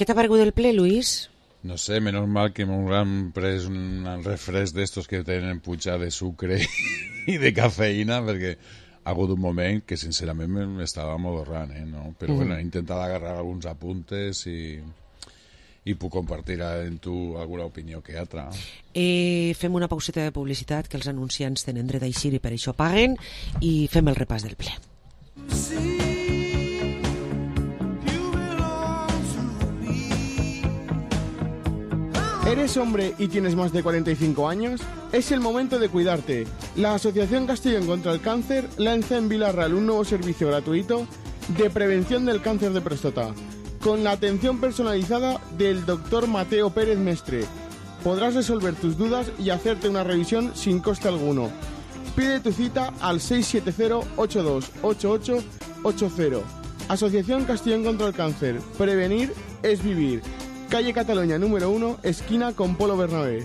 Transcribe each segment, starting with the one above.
Què t'ha paregut el ple, Luis? No sé, menos mal que m'ho han pres un refresc d'estos que tenen puja de sucre i de cafeïna, perquè ha hagut un moment que sincerament m'estava modorrant, no? Però bueno, he intentat agarrar alguns apuntes i puc compartir amb tu alguna opinió que altra. Fem una pauseta de publicitat, que els anunciants tenen dret a eixir i per això paguen, i fem el repàs del ple. ¿Eres hombre y tienes más de 45 años? Es el momento de cuidarte. La Asociación Castellón contra el Cáncer lanza en Vila-real un nuevo servicio gratuito de prevención del cáncer de próstata, con la atención personalizada del Dr. Mateo Pérez Mestre. Podrás resolver tus dudas y hacerte una revisión sin coste alguno. Pide tu cita al 670-828880. Asociación Castellón contra el Cáncer. Prevenir es vivir. Calle Cataluña número 1, esquina con Polo Bernabé.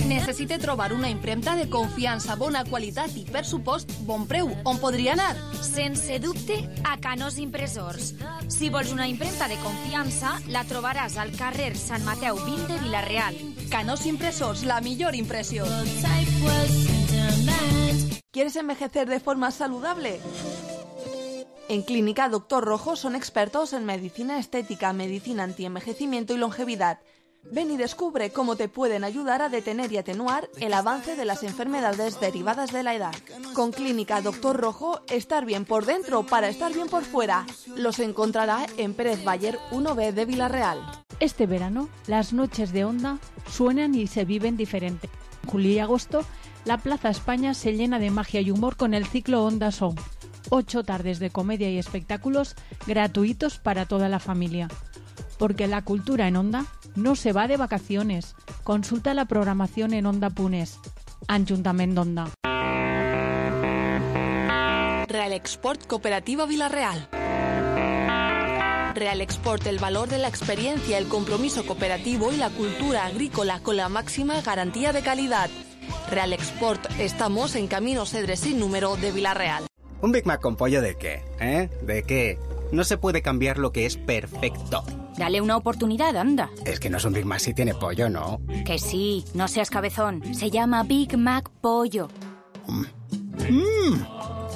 Necessite trobar una impremta de confiança, bona qualitat i, per supost, bon preu. On podria anar? Sense dubte, a Canós Impressors. Si vols una impremta de confiança, la trobaràs al carrer Sant Mateu 20 de Vila-real. Canós Impressors, la millor impressió. ¿Quieres envejecer de forma saludable? En Clínica Dr. Rojo son expertos en medicina estética, medicina antienvejecimiento y longevidad. Ven y descubre cómo te pueden ayudar a detener y atenuar el avance de las enfermedades derivadas de la edad. Con Clínica Dr. Rojo, estar bien por dentro para estar bien por fuera. Los encontrará en Pérez Bayer 1B de Vila-real. Este verano, las noches de Onda suenan y se viven diferente. En julio y agosto, la Plaza España se llena de magia y humor con el ciclo Onda Song. 8 tardes de comedia y espectáculos gratuitos para toda la familia. Porque la cultura en Onda no se va de vacaciones. Consulta la programación en Onda.es. Ajuntament d'Onda. Real Export Cooperativa Vila-real. Real Export, el valor de la experiencia, el compromiso cooperativo y la cultura agrícola con la máxima garantía de calidad. Real Export, estamos en Camino Cedres sin número de Vila-real. ¿Un Big Mac con pollo de qué? ¿De qué? No se puede cambiar lo que es perfecto. Dale una oportunidad, anda. Es que no es un Big Mac si tiene pollo, ¿no? Que sí, no seas cabezón. Se llama Big Mac Pollo.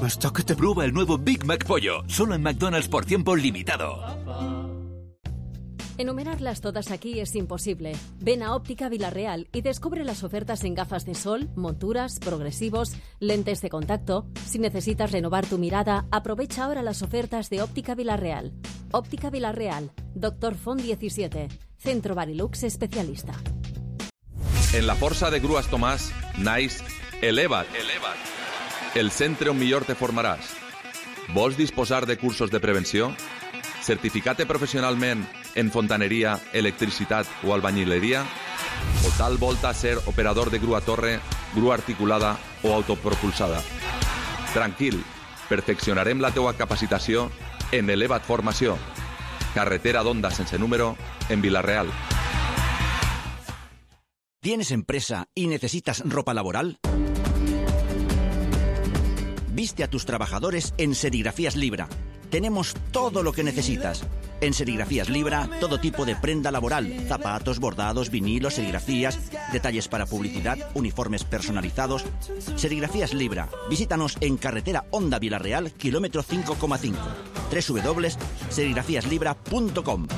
Hasta que te... Prueba el nuevo Big Mac Pollo, solo en McDonald's por tiempo limitado. Enumerarlas todas aquí es imposible. Ven a Óptica Vila-real y descubre las ofertas en gafas de sol, monturas, progresivos, lentes de contacto. Si necesitas renovar tu mirada, aprovecha ahora las ofertas de Óptica Vila-real. Óptica Vila-real, Dr. Font 17, Centro Barilux especialista. En la Força de Grues Tomàs, naix Eleva't. El centre on millor te formaràs. Vols disposar de cursos de prevenció? Certificat professionalment en fontaneria, electricitat o albañileria? O tal volta ser operador de grua torre, grua articulada o autopropulsada? Tranquil, perfeccionarem la teua capacitació en Eleva't Formació. Carretera d'Onda sense número en Vila-real. ¿Tienes empresa y necesitas ropa laboral? Viste a tus trabajadores en Serigrafías Libra. Tenemos todo lo que necesitas. En Serigrafías Libra, todo tipo de prenda laboral, zapatos, bordados, vinilos, serigrafías, detalles para publicidad, uniformes personalizados. Serigrafías Libra. Visítanos en carretera Onda Vila-real, kilómetro 5,5. www.serigrafíaslibra.com.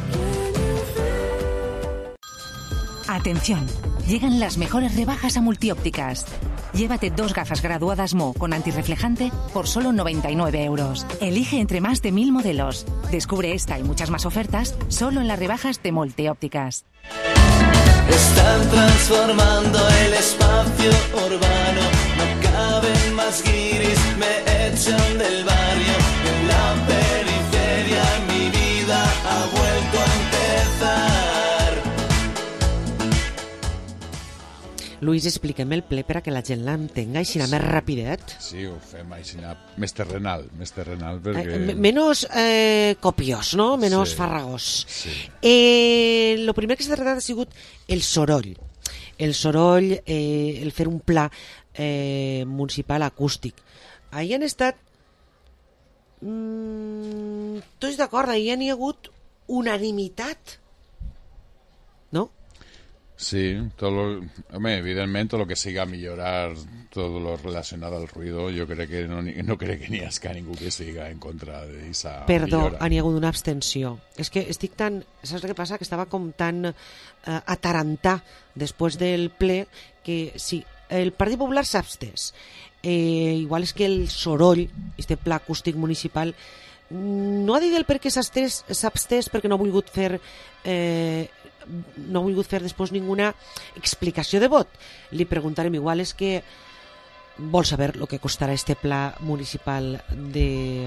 Atención, llegan las mejores rebajas a Multiópticas. Llévate 2 gafas graduadas Mo con antirreflejante por solo 99 euros. Elige entre más de 1000 modelos. Descubre esta y muchas más ofertas solo en las rebajas de Multiópticas. Están transformando el espacio urbano. No caben más guiris, me echan del barrio. En la periferia mi vida ha vuelto a empezar. Luis, expliquem el ple per a que la gent l'entenga així més rapidet. Sí, ho fem així més terrenal, perquè... Menos copiós, no? Menos farragós. Sí. Lo primer que s'ha tractat ha sigut el soroll. El soroll, el fer un pla municipal acústic. Ahí han estat Tu estàs d'acord, ahir n'hi ha hagut unanimitat, no? Sí, evidentemente todo lo que siga a millorar todo lo relacionado al ruido, yo creo que no crec que n'hi hagi ningú que siga en contra d'esa millora. N'hi ha hagut una abstenció. És que estic tan... Saps què passa? Que estava com tan atarantar després del ple que sí, el Partit Popular s'ha abstès. Igual és que el soroll, este pla acústic municipal, no ha dit el per què s'ha abstès perquè no ha volgut fer després ninguna explicació de vot. Li preguntarem, igual és que vol saber el que costarà este pla municipal de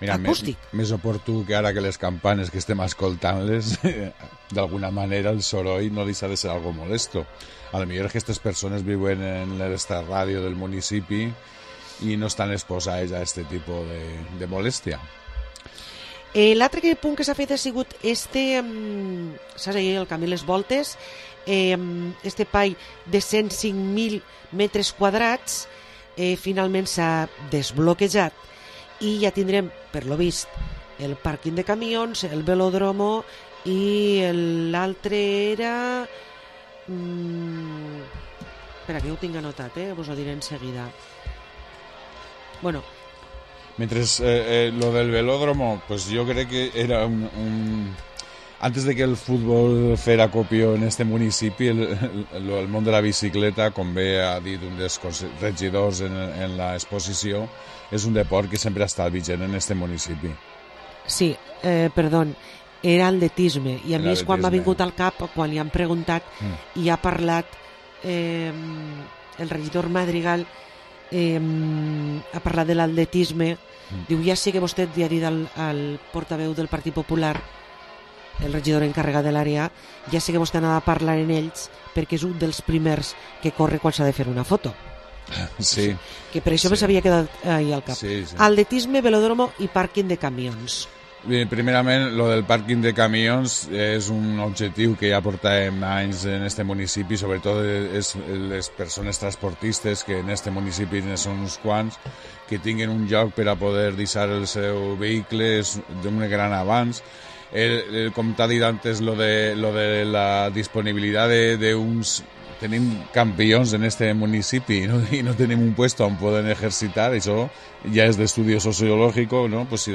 acústic. Més oportú que ara que les campanes que estem escoltant-les, d'alguna manera el soroll no deixa de ser algo molesto. A lo millor aquestes persones viuen en esta ràdio del municipi i no estan exposades a aquest tipus de molèstia. L'altre punt que s'ha fet ha sigut saps ahir el Camí Les Voltes, este espai de 105.000 metres quadrats finalment s'ha desbloquejat i ja tindrem, per lo vist, el pàrquing de camions, el velòdromo i l'altre era... Espera, que ho tinc anotat, vos ho diré en seguida. Bueno... Mientras lo del velódromo, pues yo creo que era antes de que el fútbol fuera copio en este municipi, el món de la bicicleta, com bé ha dit un dels regidors en l'exposició, és un deport que sempre ha estat vigent en este municipi. Sí, perdó, era atletisme, i a mi és quan m'ha vingut al cap, quan li han preguntat i ha parlat el regidor Madrigal, ha parlat de l'atletisme, diu, ja sé que vostè li ha dit al portaveu del Partit Popular, el regidor encarregat de l'àrea, ja sé que vostè anava a parlar en ells perquè és un dels primers que corre quan s'ha de fer una foto. Sí. Que per això me s'havia quedat ahí al cap. Sí. Atletisme, velòdromo i pàrquing de camions. Bé, primerament, lo del pàrquing de camions és un objectiu que ja portàvem anys en este municipi, sobretot les persones transportistes, que en este municipi són uns quants, que tinguin un lloc per a poder deixar el seu vehicle és d'un gran avanç. Com t'ha dit antes, lo de la disponibilitat d'uns... Tenim campions en este municipi i no tenim un puesto on poden exercitar, això ja és d'estudi sociològic, no? Pues si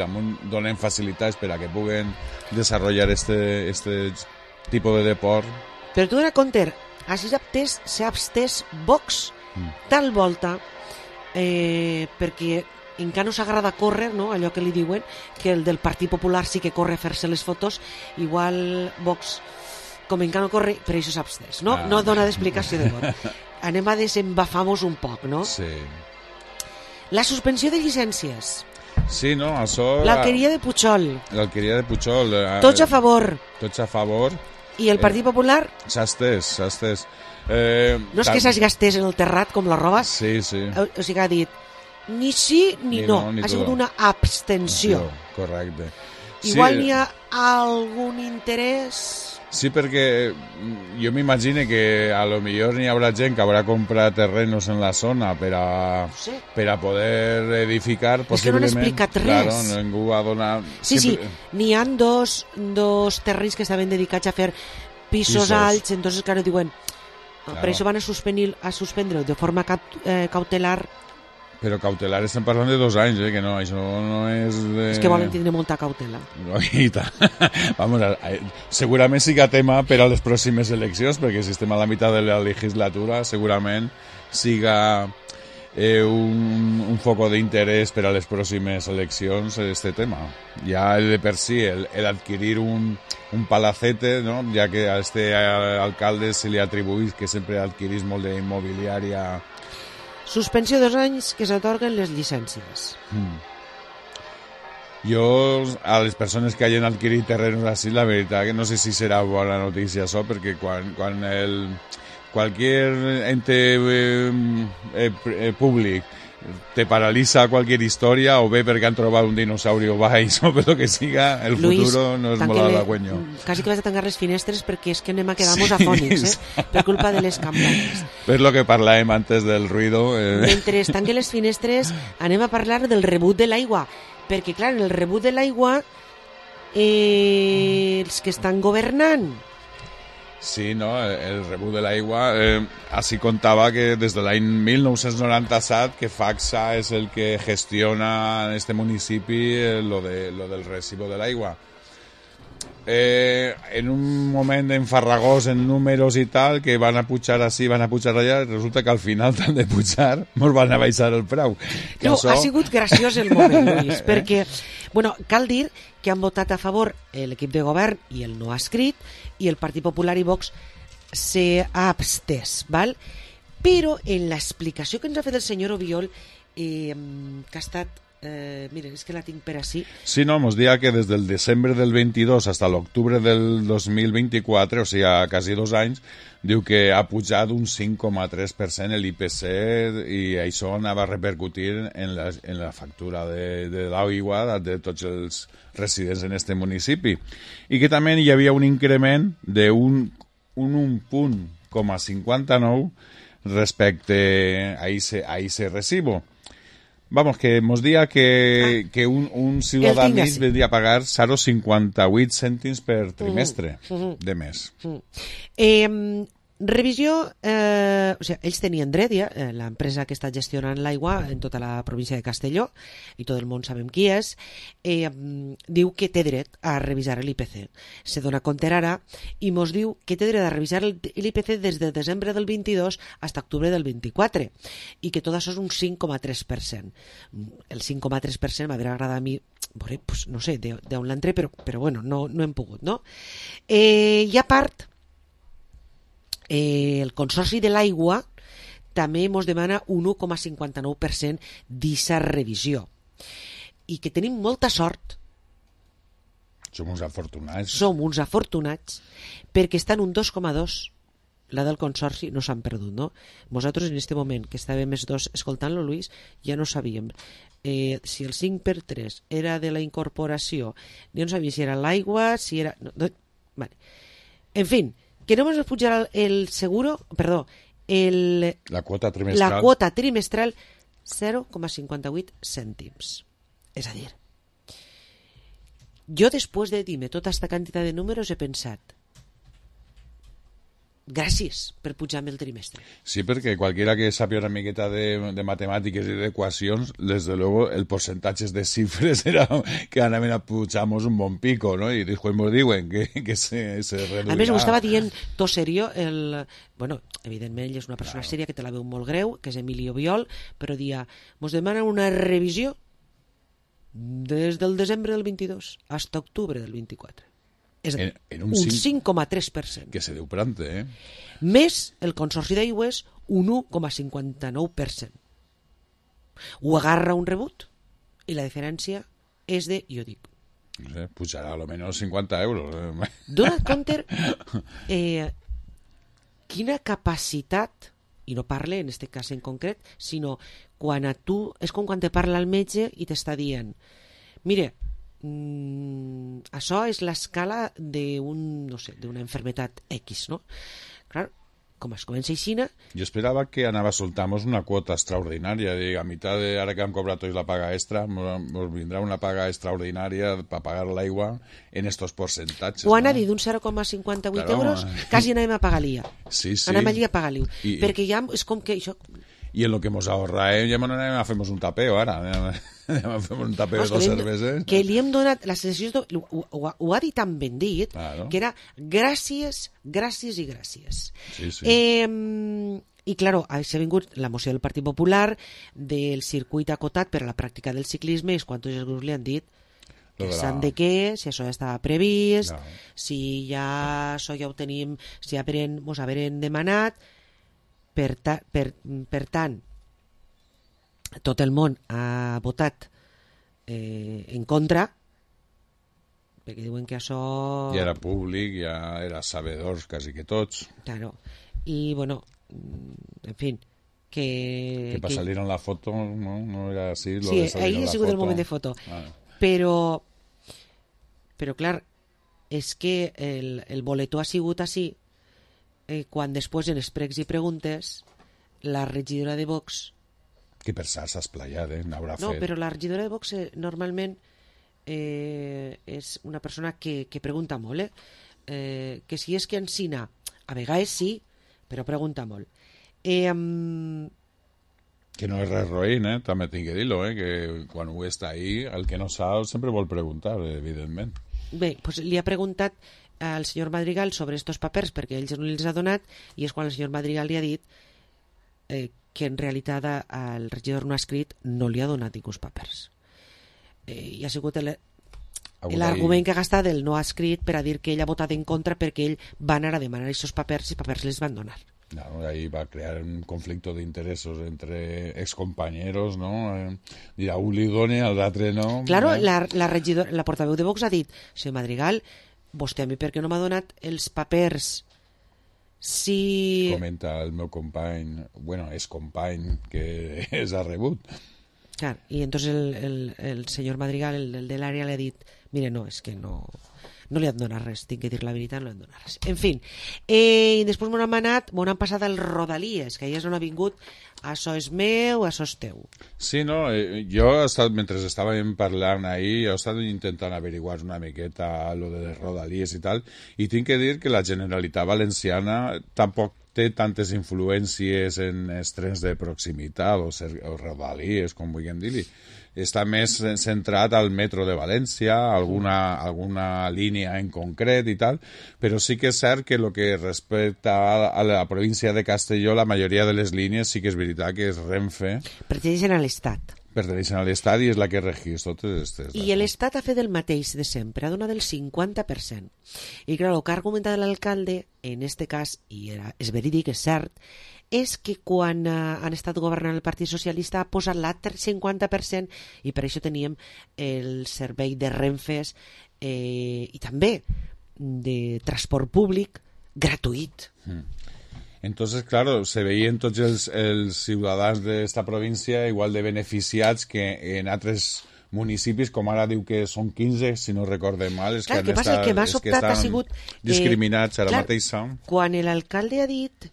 donem facilitats per a que puguen desenvolupar este tipus de deport. Però tu, Conter, s'ha abstès Vox tal volta perquè encara no s'agrada córrer, no? Allò que li diuen, que el del Partit Popular sí que corre a fer-se les fotos, igual Vox... com encara no corre, per això s'abstès, no? No dona d'explicació de vot. Anem a desembafar-nos un poc, no? Sí. La suspensió de llicències. Sí, no, això... L'alqueria de Pujol. L'alqueria de Pujol. Tots a favor. Tots a favor. I el Partit Popular? S'ha estès. No és que s'hagi gastés en el terrat com la roba. Sí. O sigui, ha dit ni sí ni no. Ha sigut una abstenció. Correcte. Igual n'hi ha algun interès... Sí, perquè jo m'imagino que a lo millor n'hi haurà gent que haurà comprat terrenos en la zona per a poder edificar. És que no han explicat res. Claro, ningú ha donat... Sí, n'hi ha dos terrenys que estaven dedicats a fer pisos alts, entonces, claro, diuen, per això van a suspendre de forma cautelar. Però cautelar estem parlant de 2 anys, que no, això no és... És que volen tindre molta cautela. Vamos, segurament siga tema per a les pròximes eleccions, perquè si estem a la meitat de la legislatura, segurament siga un foco d'interès per a les pròximes eleccions este tema. Ja de per si, l'adquirir un palacete, ¿no? Ja que a este alcalde se li atribuís que sempre adquirís molt d'immobiliària. Suspensió 2 anys que s'atorguen les llicències. Jo, a les persones que hagin adquirit terrenos així, la veritat que no sé si serà bona notícia això, perquè quan qualsevol ente públic te paraliza cualquier historia, o bé perquè han trobat un dinosaurio baix, o per lo que siga, el Luis, futuro no es molt halagüeño. Quasi que vas a tancar les finestres perquè és que anem a quedar-nos afònics, per culpa de les campanes. Per lo que parlàvem antes del ruido... Mentre es tanquen les finestres, anem a parlar del rebut de l'aigua, perquè, clar, en el rebut de l'aigua, els que estan governant... Sí, no, el rebut de l'aigua, así contaba que desde l'any 1997 que FACSA és el que gestiona en este municipi lo del recibo de l'aigua. En un moment enfarragós en números i tal, que van a pujar així, van a pujar allà, resulta que al final tant de pujar mos van a baixar el preu. No, ha sigut graciós el moment, Lluís, perquè, bueno, cal dir que han votat a favor l'equip de govern i el no ha escrit, i el Partit Popular i Vox s'ha abstès, val? Però en l'explicació que ens ha fet el senyor Obiol, que ha estat... mira, és que la tinc per així. Sí, no, mos dia que des del desembre del 22 hasta l'octubre del 2024, o sigui, quasi 2 anys, diu que ha pujat un 5,3% l'IPC i això anava a repercutir en la factura de l'aigua de tots els residents en este municipi. I que també hi havia un increment d'un 1,59 respecte a ese recibo. Vamos, que mos dia que un ciutadà mig vendria a pagar 0,58 cèntims per trimestre de mes. Revisió, o sigui, ells tenien dret, ja, l'empresa que està gestionant l'aigua en tota la província de Castelló, i tot el món sabem qui és, diu que té dret a revisar l'IPC. Se dona compte ara i mos diu que té dret a revisar l'IPC des de desembre del 22 fins a octubre del 24, i que tot això és un 5,3%. El 5,3% m'hauria agradat a mi, pues, no sé, d'on l'entré, però bueno, no hem pogut, no? I a part, el Consorci de l'Aigua també ens demana un 1,59% d'issa revisió, i que tenim molta sort. Som uns afortunats perquè estan un 2,2. La del Consorci no s'han perdut, no? Nosaltres en aquest moment que estàvem els dos escoltant-lo, Luis, ja no sabíem si el 5/3 era de la incorporació, ja no sabíem si era l'aigua, si era... Vale. En fin, que no ens pujarà el seguro, perdó, la quota trimestral 0,58 cèntims. És a dir, jo després de dir-me tota aquesta quantitat de números he pensat, gràcies per pujar-me el trimestre. Sí, perquè qualquiera que sàpiga una miqueta de matemàtiques i d'equacions, desde luego el porcentaje de cifres era que anaven a pujar-nos un bon pico, no? I després ens diuen que se reduirà. A més, ho estava dient tot serio, bueno, evidentment ell és una persona sèria que te la veu molt greu, que és Emilio Biol, però dia, ens demana una revisió des del desembre del 22 fins a octubre del 24. És a dir, un 5,3%. Que se deu prante, Més el Consorci d'Aigües, un 1,59%. Ho agarra un rebut i la diferència és de, jo dic... No sé, pujarà almenys 50 euros. Dona't compte quina capacitat, i no parle en aquest cas en concret, sinó quan a tu, és com quan te parla el metge i t'està dient, mire, això és l'escala no sé, d'una enfermetat X, no? Clar, com es comença aixina... Jo esperava que anava a soltar-nos una quota extraordinària, a meitat de ara que hem cobrat tots la paga extra, ens vindrà una paga extraordinària per pagar l'aigua en estos percentatges. Quan ha dit un 0,58 euros, quasi anem a pagar l'IA. Sí. Anem allí a pagar l'IA. Perquè ja és com que això... I en lo que mos ahorrarem, ja anem a fer-nos un tapeo ara. Anem a fer un tapeo de 2 cerveses. Que li hem donat la sensació, ho ha dit tan ben dit, que era gràcies i gràcies. Sí. I, claro, s'ha vingut la moció del Partit Popular del circuit acotat per a la pràctica del ciclisme, i quants els grups li han dit que s'han de què, si això ja estava previst, si ja això ja ho tenim, si ja mos haveren demanat. Per tant, tot el món ha votat en contra, perquè diuen que això... Ja era públic, ja era sabedors quasi que tots. Claro. I, bueno, en fi, Que para salir en la foto no era así. Sí, ahí ha sigut el moment de foto. Però, clar, és que el boletó ha sigut així quan després en els pregs i preguntes la regidora de Vox... Que per s'ha esplayat, n'haurà fet. No, però la regidora de Vox normalment és una persona que pregunta molt, que si és que ensina, a vegades sí, però pregunta molt. Que no és res roïn, també tinc que dir-lo, que quan ho està ahí, el que no sap sempre vol preguntar, evidentment. Bé, doncs li ha preguntat al senyor Madrigal sobre estos papers perquè ells no els ha donat, i és quan el senyor Madrigal li ha dit que en realitat el regidor no ha escrit, no li ha donat ningús papers. I ha sigut l'argument que ha gastat el no ha escrit per a dir que ell ha votat en contra perquè ell va anar a demanar aquests papers i els papers les van donar. No, ahí va a crear un conflicto de intereses entre excompañeros, ¿no? Y a un li done, al l'altre no. Claro, la portaveu de Vox ha dit, senyor Madrigal, vostè a mi per què no m'ha donat els papers? Si... Comenta el meu company, bueno, és company que es ha rebut. Clar, i entonces el senyor Madrigal, el de l'àrea, li ha dit, mire, no, és que no li han donat res, tinc que dir la veritat, no li han donat res. En fi, i després m'ho han passat al Rodalies, que allà és on ha vingut, això és meu, això és teu. Sí, no, jo mentre estàvem parlant ahir, he estat intentant averiguar una miqueta lo de les Rodalies i tal, i tinc que dir que la Generalitat Valenciana tampoc té tantes influències en els trens de proximitat o Rodalies, com vulguem dir-li. Està més centrat al metro de València, alguna línia en concret i tal, però sí que és cert que el que respecta a la província de Castelló, la majoria de les línies sí que és veritat que és Renfe. Perteneixen a l'Estat. Perteneixen a l'Estat i és la que regeix totes aquestes. I l'Estat ha fet el mateix de sempre, ha donat el 50%. I clar, el que ha argumentat l'alcalde, en este cas, i és verídic, és cert, és que quan han estat governant el Partit Socialista ha posat l'altre 50% i per això teníem el servei de Renfes i també de transport públic gratuït. Entonces, claro, se veien tots els ciutadans d'esta província igual de beneficiats que en altres municipis, com ara diu que són 15, si no recordem mal, és clar, que estan ha sigut discriminats ara mateix. Quan l'alcalde ha dit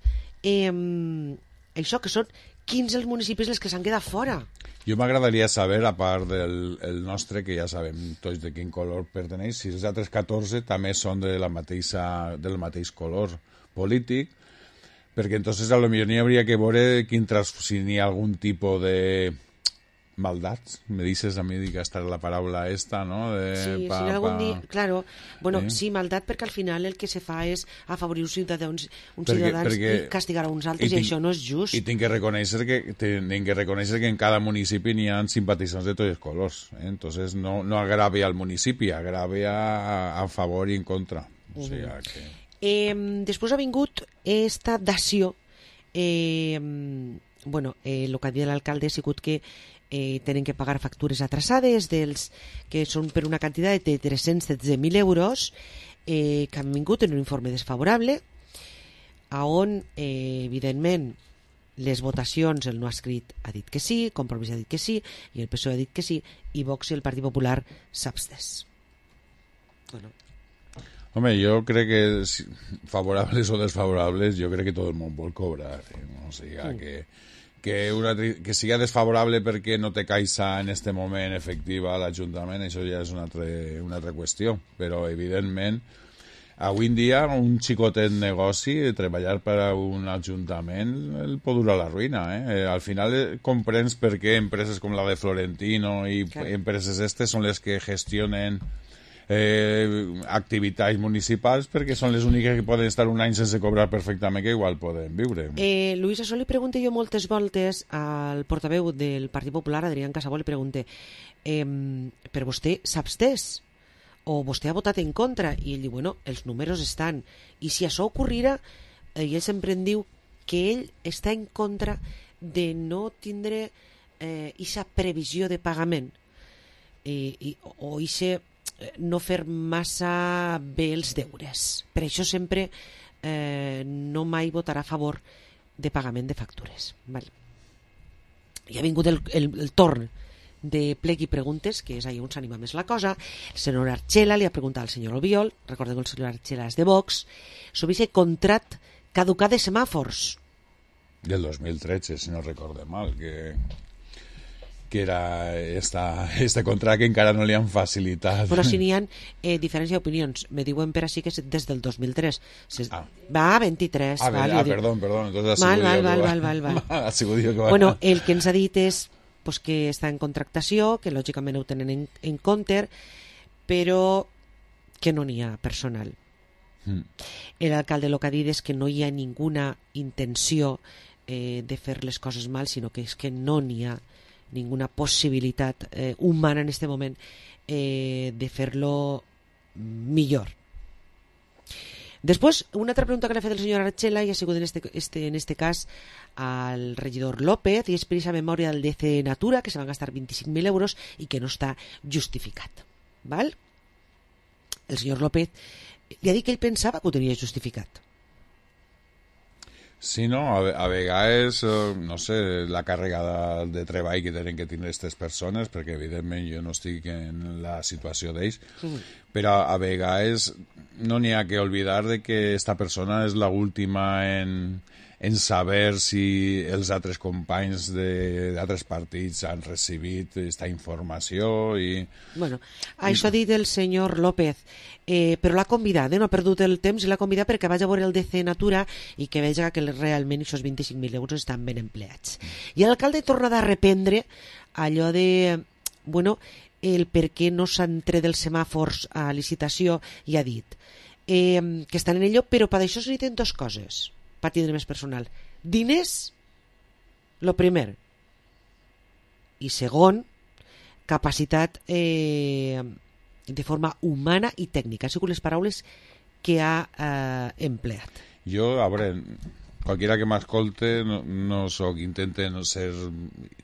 això, que són 15 els municipis els que s'han quedat fora. Jo m'agradaria saber, a part del nostre, que ja sabem tots de quin color perteneix, si els altres 14 també són del mateix color polític, perquè entonces a lo millor n'hi hauria que veure si n'hi ha algun tipus de maldats, me dices a mi que esta es la paraula esta, ¿no? Sí, si algún día, claro, bueno, sí, maldat perquè al final el que se fa és afavorir uns ciutadans i castigar a uns altres i això no és just. I tinc que reconèixer que en cada municipi n'hi ha simpatitzants de tots els colors, entonces no agrave al municipi, agrave a favor i en contra. O sigui que... Després ha vingut esta dació, bueno, el que ha dit l'alcalde ha sigut que tenen que pagar factures atrasades que són per una quantitat de 313.000 euros que han vingut en un informe desfavorable on evidentment les votacions el no ha escrit ha dit que sí, Compromís ha dit que sí i el PSOE ha dit que sí i Vox i el Partit Popular s'ha abstès. Bueno. Home, jo crec que favorables o desfavorables jo crec que tot el món vol cobrar, no? O sigui, que siga desfavorable perquè no té caixa en este moment efectiva a l'Ajuntament, això ja és una altra qüestió, però evidentment avui en dia un xicotet negoci treballar per a un ajuntament el pot durar la ruïna, al final comprens per què empreses com la de Florentino i empreses estes són les que gestionen activitats municipals perquè són les úniques que poden estar un any sense cobrar perfectament, que igual poden viure. Luis, això li pregunto jo moltes voltes al portaveu del Partit Popular, Adrián Casabó, li pregunte però vostè s'ha abstès o vostè ha votat en contra? I ell diu, bueno, els números estan i si això ocorrirà, ell sempre em diu que ell està en contra de no tindre aquesta previsió de pagament o aquest no fer massa bé els deures. Per això sempre no mai votarà a favor de pagament de factures. Vale. i ha vingut el torn de plec i preguntes, que és ahí on s'anima més la cosa. El senyor Archela li ha preguntat al senyor Albiol, recordem que el senyor Archela és de Vox, sobre aquest contrat caducat de semàfors. Del 2013, si no recorde mal, que era este contract que encara no li han facilitat. Però si n'hi ha diferència d'opinions. Me diuen per així que és des del 2003. Va, 23. Perdó. Entonces ha sigut jo que va. Bueno, el que ens ha dit és pues, que està en contractació, que lògicament ho tenen en compte, però que no n'hi ha personal. L'alcalde el que ha dit és que no hi ha ninguna intenció de fer les coses mal, sinó que és que no n'hi ha ninguna possibilitat humana en este moment de fer-lo millor. Després, una altra pregunta que l'ha fet el senyor Archela i ha sigut en este cas al regidor López, i és per aquesta memòria del DC Natura, que se van gastar 25.000 euros i que no està justificat. Val? El senyor López li ha dit que ell pensava que ho tenia justificat. Sí, no? A vegades, no sé, la càrrega de treball que tenen que tenir aquestes persones, perquè evidentment jo no estic en la situació d'ells, però a vegades no n'hi ha que oblidar de que esta persona és l'última en saber si els altres companys d'altres partits han recibit aquesta informació i... Bueno, això ha dit el senyor López, però l'ha convidat, no ha perdut el temps i l'ha convidat perquè vagi a veure el DC Natura i que veja que realment aquests 25.000 euros estan ben empleats. I l'alcalde torna a reprendre allò de, bueno, el per què no s'han tret els semàfors a licitació i ha dit que estan en ello, però per això se necessiten dues coses per tindre més personal. Diners, lo primer, i segon, capacitat de forma humana i tècnica. Han sigut les paraules que ha empleat. Jo, a veure, qualquiera que m'escolte no soc, intente no ser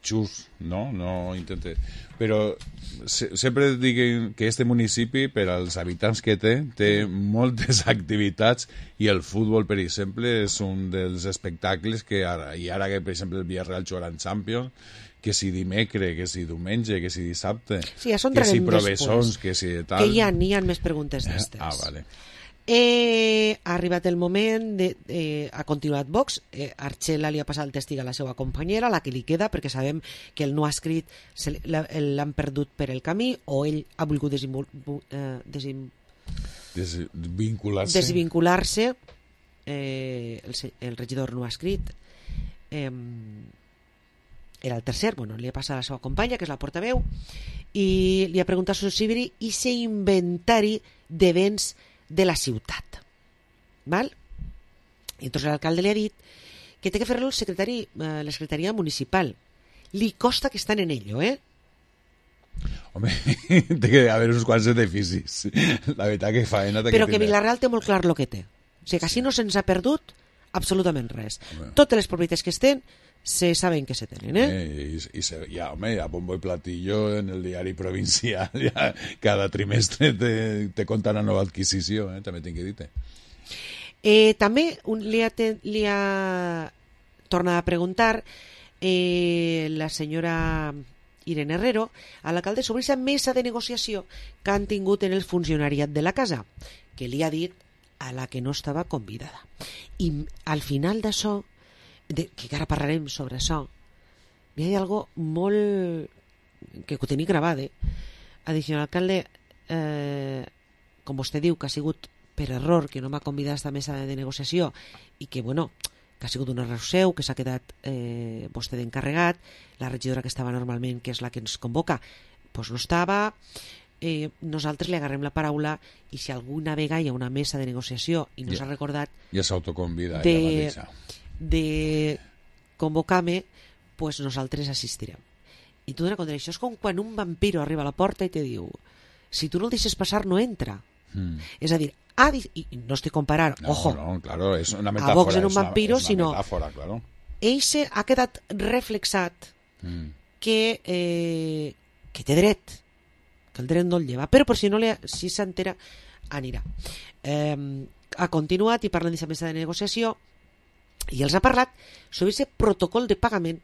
xus, no intente, però sempre dic que este municipi, per als habitants que té moltes activitats i el futbol, per exemple, és un dels espectacles que ara que, per exemple, el Villarreal jugarà en Champions, que si dimecre, que si diumenge, que si dissabte, sí, ja que si provessons, que si tal... Que hi ha més preguntes d'estes. Vale. Ha arribat el moment ha continuat Vox. Archela li ha passat el tèstig a la seva companyera, la que li queda, perquè sabem que el no ha escrit l'han perdut per el camí, o ell ha volgut desvincular-se. El regidor no ha escrit, era el tercer, li ha passat a la seva companya, que és la portaveu, i li ha preguntat sobre i ser inventari de béns de la ciutat. Val? I entonces l'alcalde li ha dit que té que fer-lo la secretaria municipal. Li costa que estan en ello, Home, té que haver uns quants edificis. La veritat que faena... Però que Vilareal té molt clar el que té. O sigui que així no se'ns ha perdut absolutament res. Totes les propietats que estem se saben que se tenen, home, a bombo y platillo en el diari provincial cada trimestre te conta una nova adquisició, també tinc que dir-te. També li ha tornat a preguntar la senyora Irene Herrero a l'alcalde sobre aquesta mesa de negociació que han tingut en el funcionariat de la casa, que li ha dit a la que no estava convidada. I al final d'això, que ara parlarem sobre això, hi ha algo molt que ho tenia gravat, ha dit, senyor alcalde, com vostè diu que ha sigut per error que no m'ha convidat a aquesta mesa de negociació i que, que ha sigut un error seu, que s'ha quedat vostè d'encarregat, la regidora que estava normalment, que és la que ens convoca, doncs no estava, nosaltres li agarrem la paraula i si alguna vegada hi ha una mesa de negociació i no s'ha recordat ja s'autoconvida ella mateixa de convocar-me, pues nosaltres assistirem. I tu dones compte, això és com quan un vampiro arriba a la porta i te diu, si tu no el deixes passar no entra. És a dir, i no estic comparant, ojo, claro, és una metàfora, a Vox en un vampiro, sinó metàfora, claro. Ell ha quedat reflexat que té dret, que el dret no el lleva, però per si s'entera anirà. Ha continuat i parlen d'aquesta mesa de negociació i els ha parlat sobre aquest protocol de pagament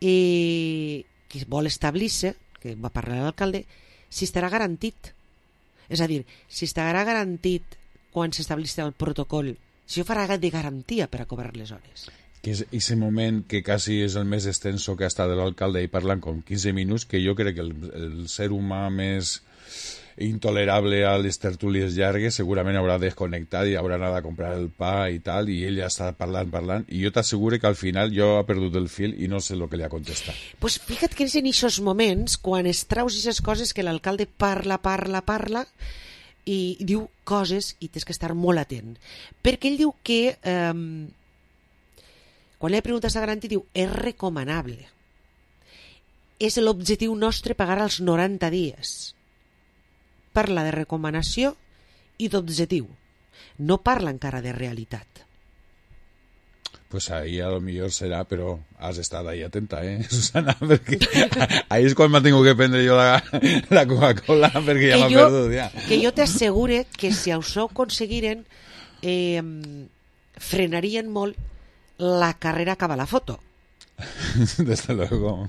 que vol establir-se, que va parlar l'alcalde, si estarà garantit. És a dir, si estarà garantit quan s'establís el protocol, si ho farà de garantia per a cobrar les hores. Que és aquest moment que quasi és el més extenso que ha estat l'alcalde i parlant com 15 minuts, que jo crec que el ser humà més intolerable a les tertúlies llargues segurament haurà desconnectat i haurà anat a comprar el pa i tal, i ell ja està parlant, i jo t'asseguro que al final jo ha perdut el fil i no sé el que li ha contestat. Pues fíjate que és en aquests moments quan es traus aquestes coses que l'alcalde parla i diu coses i tens que estar molt atent, perquè ell diu que quan li preguntes a garantir diu és recomanable, és l'objectiu nostre pagar als 90 dies. Parla de recomanació i d'objectiu, no parla encara de realitat. Pues ahí a lo mejor será, pero has estado ahí atenta, Susana, porque ahí es cuando tengo que prendre yo la Coca-Cola, porque ya m'ha perdut, ja. Que jo t'assegure que si això ho aconseguiren, frenarien molt la carrera cap a la foto. Desde luego.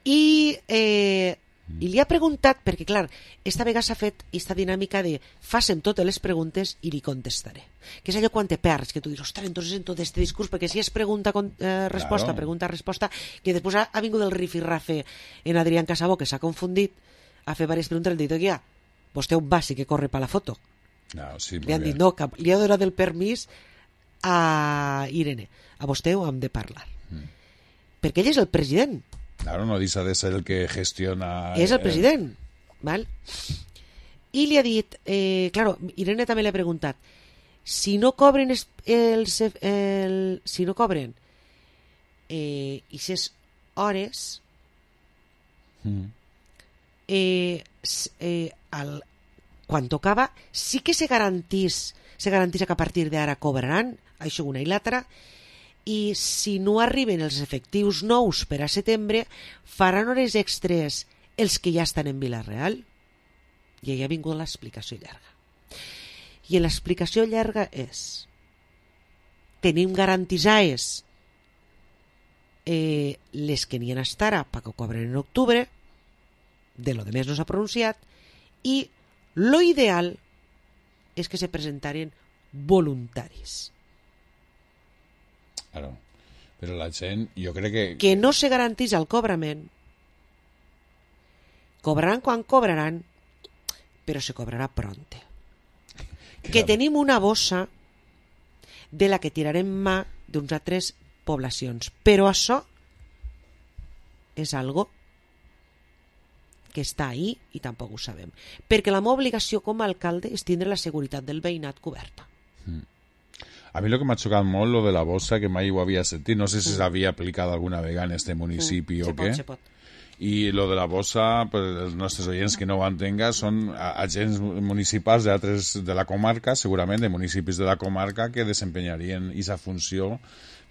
I li ha preguntat, perquè clar, esta vegada s'ha fet aquesta dinàmica de facem totes les preguntes i li contestaré, que és allò quan te perds, que tu dius, ostres, entonces en tot este discurs, perquè si és pregunta-resposta, claro. Pregunta-resposta, que després ha vingut el rifirrafe en Adrián Casabó, que s'ha confundit, a fer diverses preguntes, el dit, ja, vostè on va, sí que corre per la foto. No, sí, li han dit, no, li ha donat el permís a Irene, a vostè ho hem de parlar. Perquè ell és el president. Claro, no deixa de ser el que gestiona... És el president, val? I li ha dit, claro, Irene també li ha preguntat, si no cobren si no cobren aquestes hores, quan tocava, sí que se garantís que a partir d'ara cobraran, això una i l'altra, i si no arriben els efectius nous per a setembre, faran hores extres els que ja estan en Vila-real. I ahí ha vingut l'explicació llarga. I l'explicació llarga és: tenim garantitzades les que n'hi ha hasta ara perquè ho cobren en octubre, de lo demés no s'ha pronunciat, i lo ideal és que se presentaren voluntaris. Claro, però la gent, jo crec que no se garantís el cobrament, cobraran quan cobraran, però se cobrarà pronte. Que tenim una bossa de la que tirarem mà d'uns altres poblacions, però això és algo que està ahí i tampoc ho sabem, perquè la meva obligació com a alcalde és tindre la seguretat del veïnat coberta. A mi lo que m'ha xocat molt lo de la bossa, que mai ho havia sentit, no sé si s'havia aplicat alguna vegada en este municipi o què. I lo de la bossa, per els nostres oients que no ho entenga, són agents municipals de la comarca, segurament de municipis de la comarca, que desempenyarien aquesta funció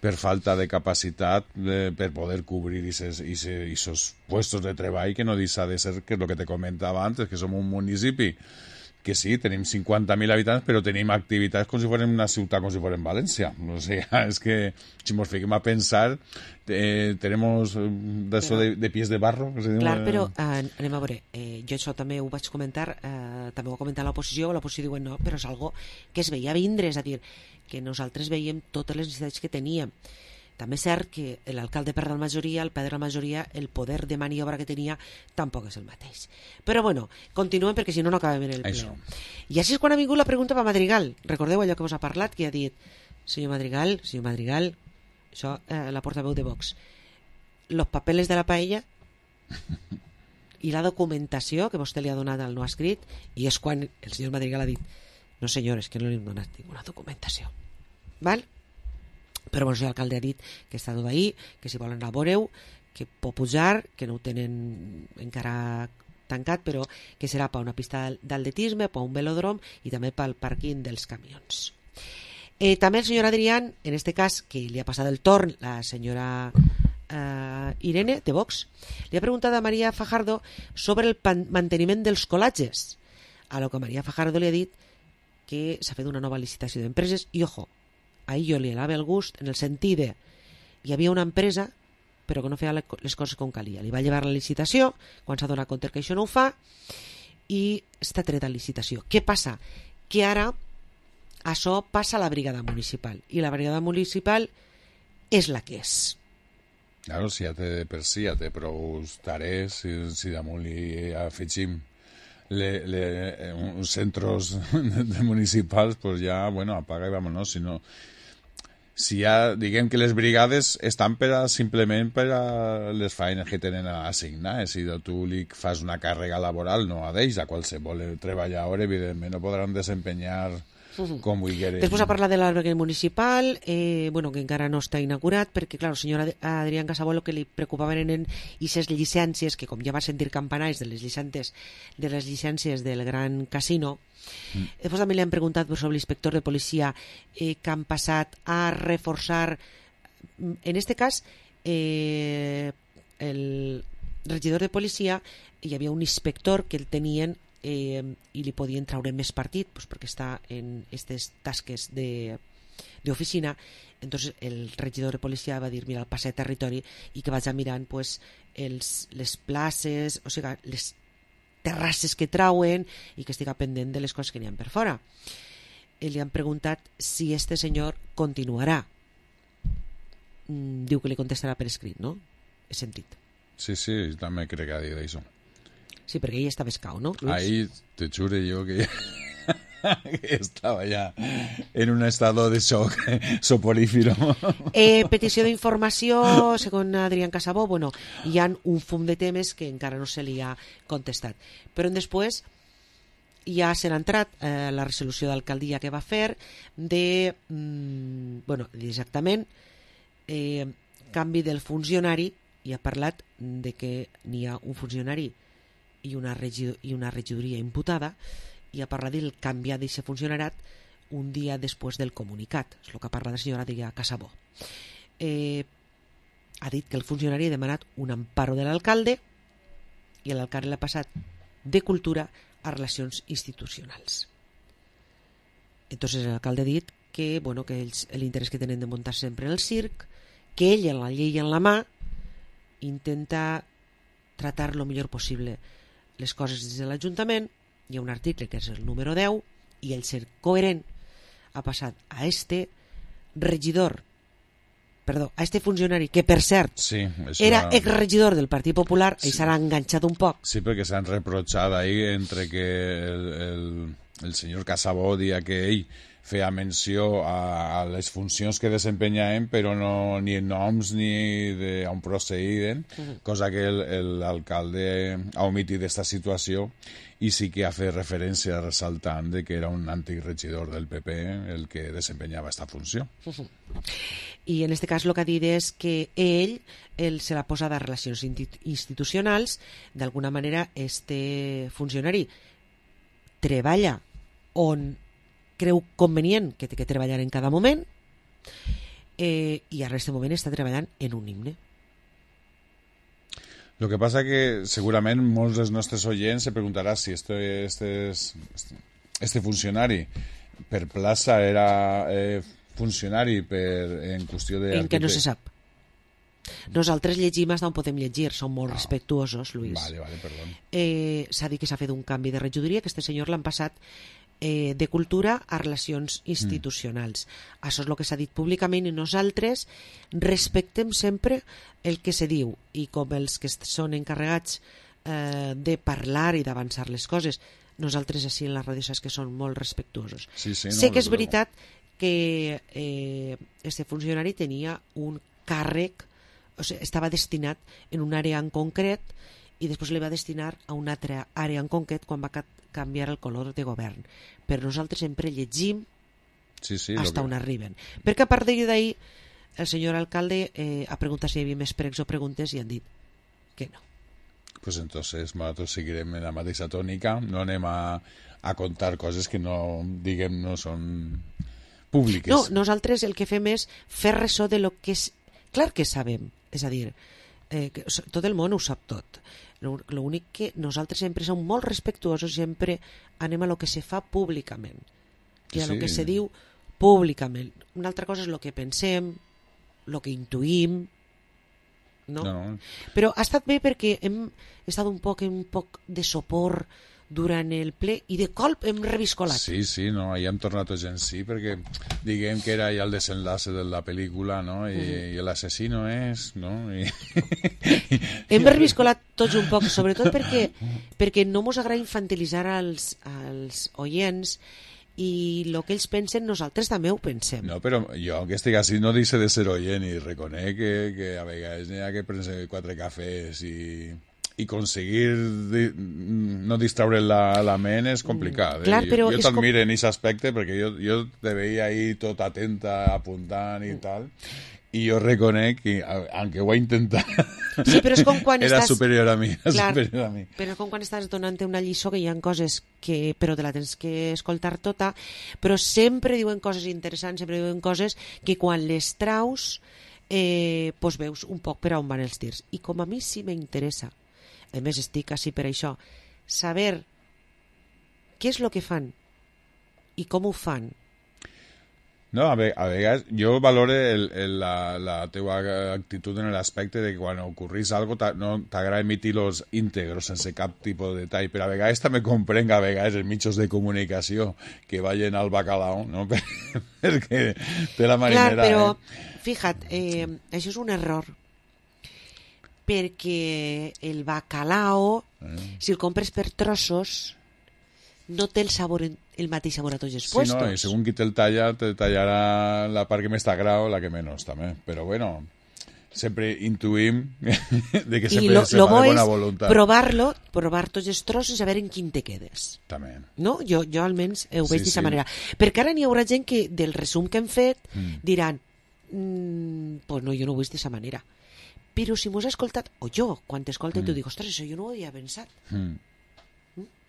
per falta de capacitat per poder cobrir esos puestos de treball, que no deixa de ser, que és el que te comentava antes, que som un municipi que sí, tenim 50.000 habitants, però tenim activitats com si fossin una ciutat, com si fossin València. O sigui, és que, si ens fiquem a pensar, tenemos d'això de pies de barro. Clar, però anem a veure, jo això també ho vaig comentar, també ho ha comentat l'oposició diu, no, però és algo que es veia vindre, és a dir, que nosaltres veiem totes les necessitats que teníem. També és cert que l'alcalde perd la majoria, el perd la majoria, el poder de maniobra que tenia tampoc és el mateix. Però bueno, continuem perquè si no no acabem en el ple. I així és quan ha vingut la pregunta per Madrigal. Recordeu allò que us ha parlat, que ha dit senyor Madrigal, això la portaveu de Vox, los papeles de la paella i la documentació que vostè li ha donat al no escrit, i és quan el senyor Madrigal ha dit no senyores, que no li hem donat ninguna documentació. Val? Però bueno, l'alcalde ha dit que està tot ahí, que si volen anar a veure-ho, que pot pujar, que no ho tenen encara tancat, però que serà per una pista d'atletisme, per un velòdrom i també pel pàrquing dels camions. També el senyor Adrián, en este cas, que li ha passat el torn la senyora Irene, de Vox, li ha preguntat a María Fajardo sobre el manteniment dels colatges, a lo que María Fajardo li ha dit que s'ha fet una nova licitació d'empreses i, ojo, ahí jo li anava el gust en el sentit de hi havia una empresa però que no feia les coses com calia. Li va llevar la licitació, quan s'ha donat compte que això no ho fa, i està treta licitació. Què passa? Que ara això passa a la brigada municipal, i la brigada municipal és la que és. Claro, si ja té per si, ja té prou tarees, si damunt li afegim uns centros municipals, pues ja, bueno, apaga i vámonos, si no... Si ja, diguem que les brigades estan simplement per a les feines que tenen assignades. Si tu li fas una càrrega laboral, no a d'ells, a qualsevol treballador, evidentment, no podran desempenyar com vulgueren. Després a parlar de l'albergue municipal, bueno, que encara no està inaugurat, perquè, clar, el senyor Adrián Casabó el que li preocupaven eren aquestes llicències, que com ja va sentir campanars de les llicències del Gran Casino. Després també li han preguntat sobre l'inspector de policia que han passat a reforçar, en este cas el regidor de policia, hi havia un inspector que el tenien i li podien traure més partit, pues, perquè està en aquestes tasques d'oficina. Entonces el regidor de policia va dir, mira, el passe de territori i que vaig mirant pues, les places, o sigui, les terrasses que trauen i que estiga pendent de les coses que n'hi ha per fora. Li han preguntat si este senyor continuarà. Diu que li contestarà per escrit, no? He sentit. Sí, també crec que ha dit això. Sí, perquè ell estava escau, no, Luis? Ahí te jure yo que estaba ya en un estado de shock soporífero. Petició d'informació, segons Adrián Casabó, bueno, hi ha un fum de temes que encara no se li ha contestat. Però després ja se n'ha entrat la resolució d'alcaldia que va fer de, bueno, exactament, canvi del funcionari, i ha parlat de que n'hi ha un funcionari i una regidoria imputada, i ha parlat del canviar d'aquest funcionariat un dia després del comunicat. És el que ha parlat la senyora Adrià Casabó. Ha dit que el funcionari ha demanat un amparo de l'alcalde i l'alcalde l'ha passat de Cultura a Relacions Institucionals. Entonces l'alcalde ha dit que, bueno, que l'interès que tenen de muntar sempre en el circ, que ell, en la llei en la mà, intenta tratar lo millor possible les coses des de l'Ajuntament. Hi ha un article que és el número 10 i el ser coherent ha passat a regidor, perdó, a funcionari que per cert era exregidor del Partit Popular i s'ha enganxat un poc. Sí, perquè s'han reprotxat ahí entre que el senyor Casabó dia que ell feia menció a les funcions que desempenyaven, però no ni en noms ni on procedien, cosa que l'alcalde ha omitit d'esta situació i sí que ha fet referència ressaltant de que era un antic regidor del PP el que desempenyava aquesta funció. I en aquest cas el que ha dit és que ell se l'ha posat a Relacions Institucionals. D'alguna manera este funcionari treballa on creu convenient que té que treballar en cada moment i en aquest moment està treballant en un himne. Lo que passa que segurament molts dels nostres oients se preguntarà si este funcionari per plaça era funcionari en qüestió de... En què no se sap. Nosaltres llegim fins on podem llegir, som molt respectuosos, Luis. Vale, perdó. S'ha dit que s'ha fet un canvi de regidoria, que este senyor l'han passat de Cultura a Relacions Institucionals. Això és el que s'ha dit públicament i nosaltres respectem sempre el que se diu, i com els que són encarregats de parlar i d'avançar les coses, nosaltres així en la ràdio saps que són molt respectuosos. Sé que és veritat que este funcionari tenia un càrrec, o sigui, estava destinat en una àrea en concret i després li va destinar a una altra àrea en concret quan va canviar el color de govern. Però nosaltres sempre llegim hasta on arriben. Perquè a part d'ahir el senyor alcalde ha preguntat si hi havia més pregs o preguntes i han dit que no. Pues entonces nosaltres seguirem en la mateixa tònica, no anem a contar coses que no, diguem, no són públiques. No, nosaltres el que fem és fer ressò de lo que és... Clar que sabem, és a dir, tot el món ho sap tot. L'únic que nosaltres sempre som molt respectuosos, sempre anem a lo que se fa públicament i a lo que se diu públicament. Una altra cosa és el que pensem, el que intuïm, No? No. Però ha estat bé perquè hem estat un poc de sopor durant el ple i de colp hem reviscolat. Sí, no, ahir hem tornat tots en sí perquè diguem que era ja el desenlace de la pel·lícula, no? I l'assassino és, no? Hem reviscolat tots un poc, sobretot perquè no mos agrada infantilitzar als oients i el que ells pensen nosaltres també ho pensem. No, però jo que estic així no deixo de ser oient i reconec que a vegades n'hi ha que prendre 4 cafès i aconseguir no distraure la ment és complicat. Clar, però jo t'admiro en aquest aspecte perquè jo te veia ahí tot atenta, apuntant i tal, i jo reconec que, aunque ho he intentat, sí, però és com quan era estàs... superior a mi. Clar, superior a mi. però és com quan estàs donant una lliçó que hi ha coses que però te la tens que escoltar tota, però sempre diuen coses interessants, sempre diuen coses que quan les traus pues veus un poc per on van els tirs. I com a mi sí m'interessa, a més estic així per això, saber què és el que fan i com ho fan. No, a vegades jo valore la teua actitud en l'aspecte de que quan ocorrís algo no t'agrada emitir-los íntegros sense cap tipus de detall, però a vegades també comprenc a vegades els mitjans de comunicació que vagin al bacalao, no? Perquè té la marinera... Clar, però fija't, això és un error, perquè el bacalao, si el compres per trossos, no té el mateix sabor a tots els puestos. Sí, no, i segons qui te'l talla, te tallarà la part que més t'agrada o la que menys, també. Però bueno, sempre intuïm de que sempre se fa de bona voluntat. Provar tots els trossos i saber en quin te quedes. També. No? Jo almenys ho veig d'aquesta manera. Perquè ara n'hi haurà gent que del resum que hem fet diran pues no, jo no ho veig d'aquesta manera. Però si m'ho has escoltat, o jo, quan t'escolta t'ho dic, ostres, això jo no ho havia pensat.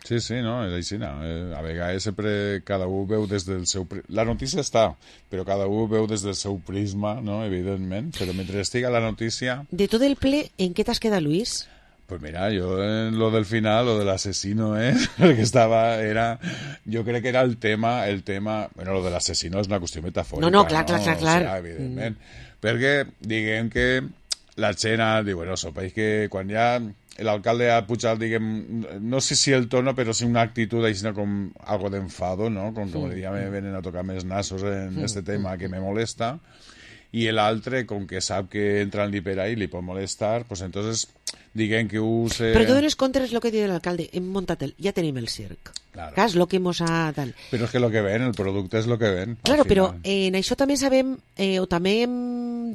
Sí, no, és així. No. A vegades sempre cada un veu des del seu... La notícia està, però cada un veu des del seu prisma, no? Evidentment, però mentre estiga la notícia... De tot el ple, en què t'has quedat, Luis? Pues mira, yo en lo del final, lo del asesino, porque yo creo que era el tema, bueno, lo del asesino es una cuestión metafórica. No, clar. O sea, evidentment. Perquè diguem que la escena, bueno, sopeix que quan ja l'alcalde ha pujat, diguem, no sé si el tono, però sí una actitud així com algo d'enfado, ¿no? Como ya me vienen a tocar més nassos en este tema que me molesta, i l'altre, com que sap que entra en l'hiper i li pot molestar, pues entonces diguem que use... Però tu dones compte és el que diu l'alcalde, hem muntat ja tenim el circ. Claro. És el que mos ha... Tal. Però és que el que ven, el producte és el que ven. Claro, però en això també sabem, o també hem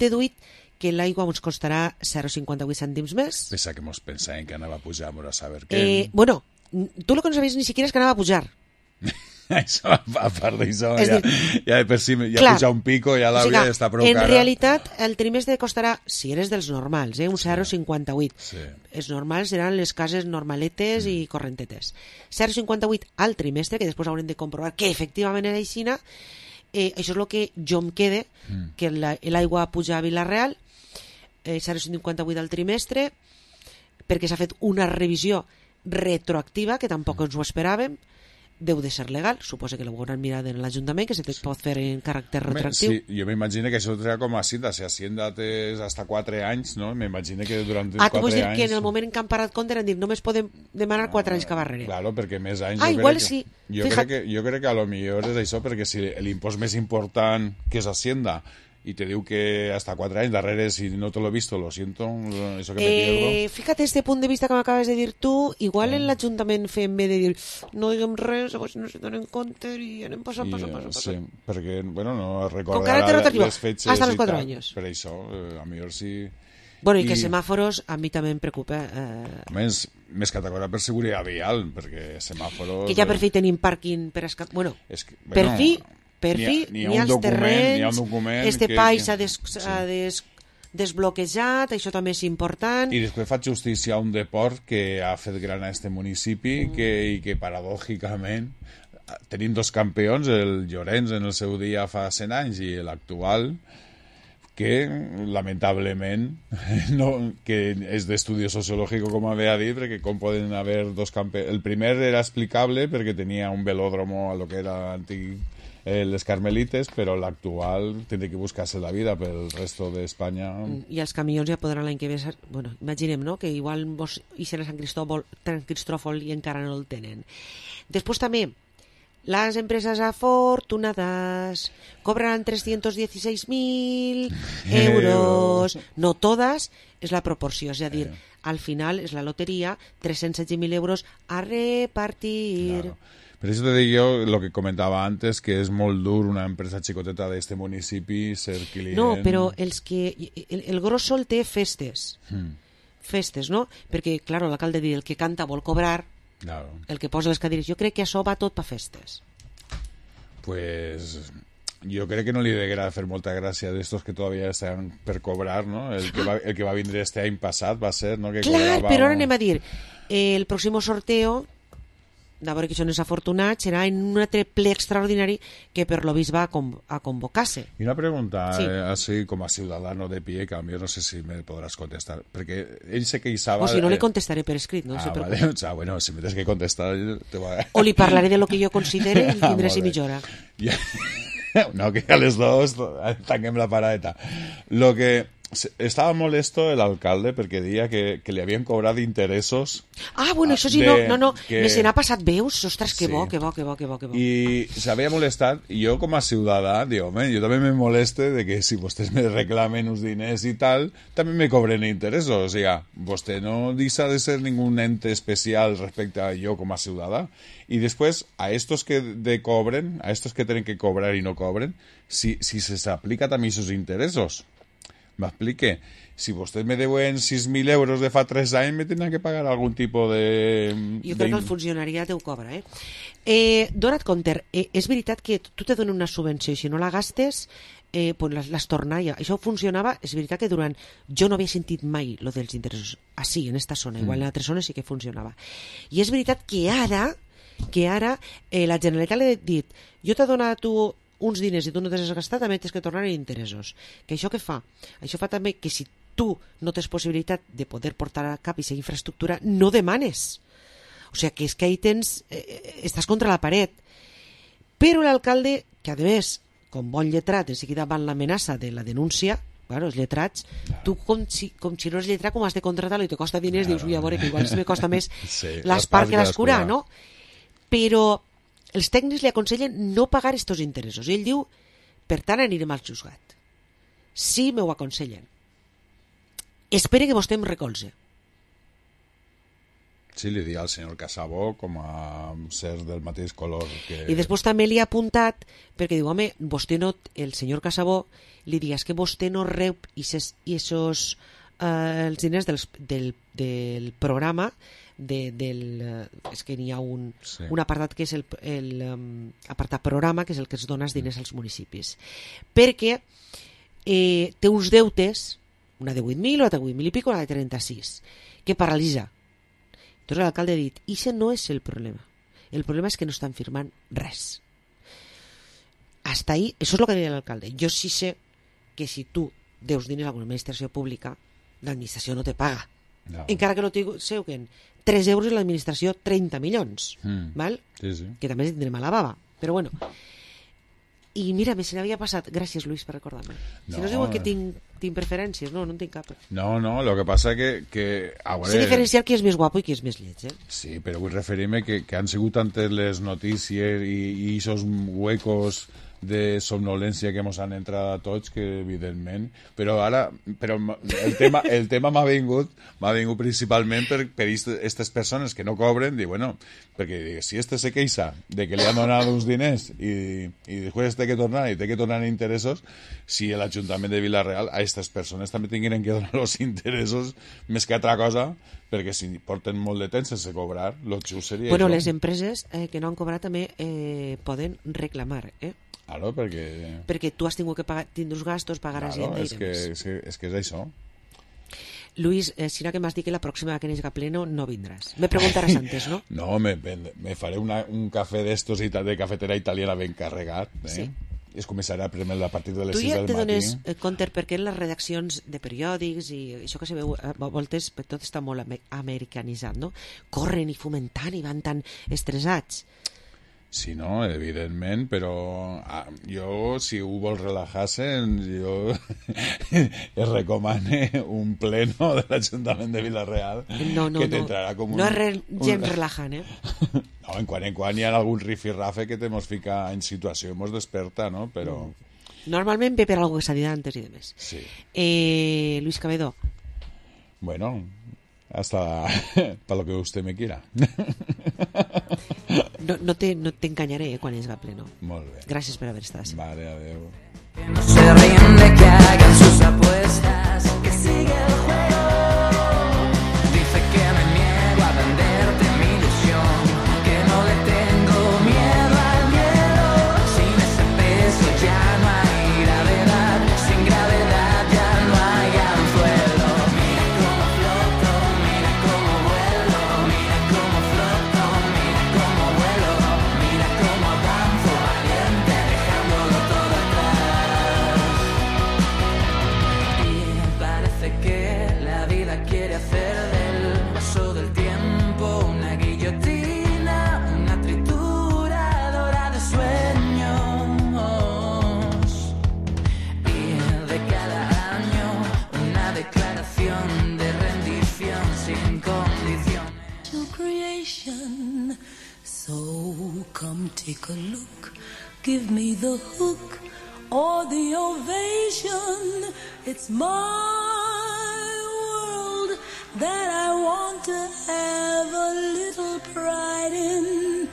deduït que l'aigua ens costarà 0,58 cèntims més. Pensa que mos pensàvem que anava a pujar, a saber què. Bueno, tu el que no sabies ni siquiera és que anava a pujar. Això, a part d'això, ja per si ja puja un pico, ja l'hauria d'estar prou cara. En realitat, el trimestre costarà, si eres dels normals, un 0,58. Sí. Els normals seran les cases normaletes i correntetes. 0,58 al trimestre, que després haurem de comprovar que efectivament era aixina. Això és el que jo em quede, que l'aigua puja a Vila-real, 0,58 al trimestre, perquè s'ha fet una revisió retroactiva, que tampoc ens ho esperàvem, deu de ser legal, suposa que ho hauran mirat en l'Ajuntament, que se te pot fer en caràcter retroactiu. Sí, jo m'imagino que això serà com a Hacienda, si Hacienda té hasta 4 anys, no? M'imagino que durant 4 anys... tu vols dir que en el moment en què han parat compte han dit només podem demanar 4 anys que barrere. Claro, perquè més anys... Igual sí. Jo crec que a lo millor és això, perquè si l'impost més important que és Hacienda y te digo que hasta 4 anys darrere, si no te lo he visto, lo siento, eso que me pierdo. Fíjate, este punt de vista que m'acabes de dir tu, igual en l'Ajuntament fem bé de dir no diguem res, si no se donen compte i anem passant. Sí, perquè, bueno, no recordarà les fetges hasta los 4 anys. Per això, a millor sí... Bueno, i que semàforos a mi també em preocupa. A més categoria per seguretat vial, perquè semàforos... Que ja per fi tenim pàrquing per escapar... Bueno, per fi... N'hi ha els terrenys, este pai s'ha desbloquejat, això també és important. I després fa justícia a un deport que ha fet gran a este municipi i que paradògicament tenim 2 campions, el Llorenç en el seu dia fa 100 anys i l'actual, que lamentablement no, que és d'estudi sociològic, com havia dit, perquè com poden haver dos campers... El primer era explicable perquè tenia un velòdromo a lo que era antic les Carmelites, però l'actual tindrà que buscar-se la vida pel resto d'Espanya. I els camions ja podran l'any que ve... Bueno, imaginem, no?, que igual vos ixen a Sant Cristòfol i encara no el tenen. Després també, les empreses afortunadas cobran 316.000 euros. No todas, és la proporció, és a dir, al final és la loteria, 316.000 euros a repartir. Claro. Per això te dic jo, el que comentava antes, que és molt dur una empresa xicoteta d'este municipi ser client... No, però els que... El gros sol té festes. Festes, no? Perquè, clar, l'alcalde diu, el que canta vol cobrar, claro. El que posa les cadires. Jo crec que això va tot per festes. Pues... jo crec que no li degrada fer molta gràcia d'estos que todavía estan per cobrar, no? El que va vindre este any passat va ser, no? Que clar, cobrava... però ara anem a dir, el pròxim sorteo... de veure que són els afortunats, serà en un altre ple extraordinari que per lo vist va a convocar-se. I una pregunta, sí. Així com a ciudadano de pie, que a mi no sé si me podràs contestar, perquè ell se queixava... O si no, le contestaré per escrit, no? Vale. O sea, bueno, si me tens que contestar... Te va... O li parlaré de lo que jo considere i tindré si mitjora. Ja. No, que a les dos tanquem la paradeta. Lo que... Estava molesto el alcalde perquè deia que li havien cobrat interessos. Ah, bueno, això sí, no. Que... Me se n'ha passat veus, ostres, que bo. I s'havia molestat, i jo com a ciutadà, dic, home, jo també me moleste de que si vostès me reclamen uns diners i tal, també me cobren interessos. O sigui, vostè no deixa de ser ningún ente especial respecte a jo com a ciutadà. I després, a estos que cobren, a estos que tenen que cobrar i no cobren, si se s'aplica també aquests interessos. M'explique, si vostès me deuen 6.000 euros de fa 3 anys, me tindran que pagar algun tipus de... Jo crec que el funcionariat ho cobra, Dona't compte, és veritat que tu te donen una subvenció i si no la gastes, pues les torna ja. Això funcionava, és veritat que durant... Jo no havia sentit mai lo dels interessos, així, en esta zona, igual en altres zones sí que funcionava. I és veritat que ara la Generalitat li ha dit, jo t'he donat a tu uns diners i tu no t'has gastat, també tens que tornar en interessos. Que això què fa? Això fa també que si tu no tens possibilitat de poder portar a cap aquesta infraestructura, no demanes. O sigui, que és que ahí estàs contra la paret. Però l'alcalde, que a més, com bon lletrat, en seguida van l'amenaça de la denúncia, claro, els lletrats, tu com si no és lletrat, com has de contratar-lo i te costa diners, dius, ui, a veure, que igual me costa més l'espart que l'escurar, no? Però els tècnics li aconsellen no pagar estos interessos. I ell diu, per tant, anirem al juzgat. Sí, m'ho aconsellen. Espere que vostè em recolze. Sí, li diu al senyor Casabó com a ser del mateix color que... I després també li ha apuntat, perquè diu, home, vostè no... El senyor Casabó li diu, és que vostè no rep els diners del programa és que n'hi ha un apartat que és l'apartat programa, que és el que es dona els diners als municipis, perquè té uns deutes, una de 8.000, una de 8.000 i pico, una de 36, que paralitza. Entonces l'alcalde ha dit, això no és el problema és que no estan firmant res. Hasta ahí, això és el que deia l'alcalde. Jo sí sé que si tu deus diners a una administració pública, l'administració no te paga. No. Encara que no te seuquen 3 euros i l'administració 30 milions, val? Sí. Que també tindrem a la baba, però bueno. I mira, se n'havia passat, gràcies Luis per recordar-me. Si no es diuen que tinc preferències, no en tinc cap. No, lo que passa que a veure... Sé diferenciar qui és més guapo i qui és més lleig, Sí, però vull referir-me que han sigut tantes les notícies i esos huecos de somnolència que ens han entrat a tots, que evidentment, però el tema m'ha vingut principalment per aquestes persones que no cobren, perquè si este se queixa de que li han donat uns diners i després té que tornar en interessos, si l'Ajuntament de Vila-real a aquestes persones també tinguin que donar els interessos més que altra cosa, perquè si porten molt de temps sense cobrar, el just seria això. Les empreses que no han cobrat també poden reclamar, Claro, perquè tu has tingut que tindre els gastos, pagar a gent i demés. És que és això. Luis, si no que m'has dit que la pròxima que n'és a pleno no vindràs. Me preguntaràs antes, no? No, me faré un cafè d'estos de cafetera italiana ben carregat, Sí. es començarà a premer a partir de les 6 del matí. Tu ja te dones compte perquè en les redaccions de periòdics i això que se veu a voltes tot està molt americanitzat, no? Corren i fomentant i van tan estressats. Sí, no, evidentment, però jo, si ho vols relajar-se, jo es recomane un pleno de l'Ajuntament de Vila-real que t'entrarà com un... No és gens relajant, No, en quan hi ha algun rifirrafe que te mos fica en situació i mos desperta, no? Però... Normalment ve per algo que s'ha dit antes i demés. Sí. Luis Cabedo. Bueno, hasta para lo que usted me quiera. No te engañaré quan es va pleno. Molt bé. Gràcies per haver estat. Vale, adeu. Que no se rinde, que hagan sus apuestas, que sigue el juego. Dice que me niego a venderte mi ilusión, que no le tengo miedo al miedo. Sin ese peso ya no hay gravedad, sin gravedad ya no hay anzuelo. Mira cómo floto, mira cómo vuelo, mira cómo floto, mira cómo vuelo, mira cómo avanzo valiente dejándolo todo atrás. Y me parece que la vida quiere hacer del paso del tiempo una guillotina, una trituradora de sueños. Y de cada año una declaración de rendición sin condiciones. To creation, so come take a look, give me the hook or the ovation. It's my world that I want to have a little pride in.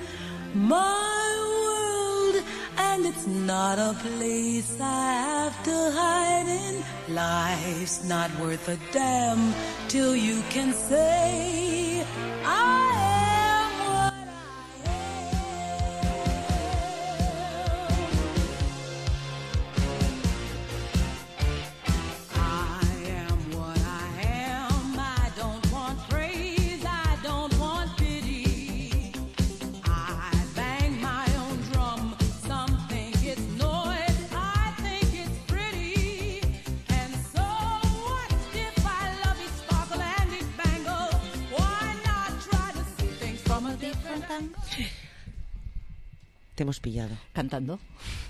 My world, and it's not a place I have to hide in. Life's not worth a damn till you can say I am what Te hemos pillado. Cantando.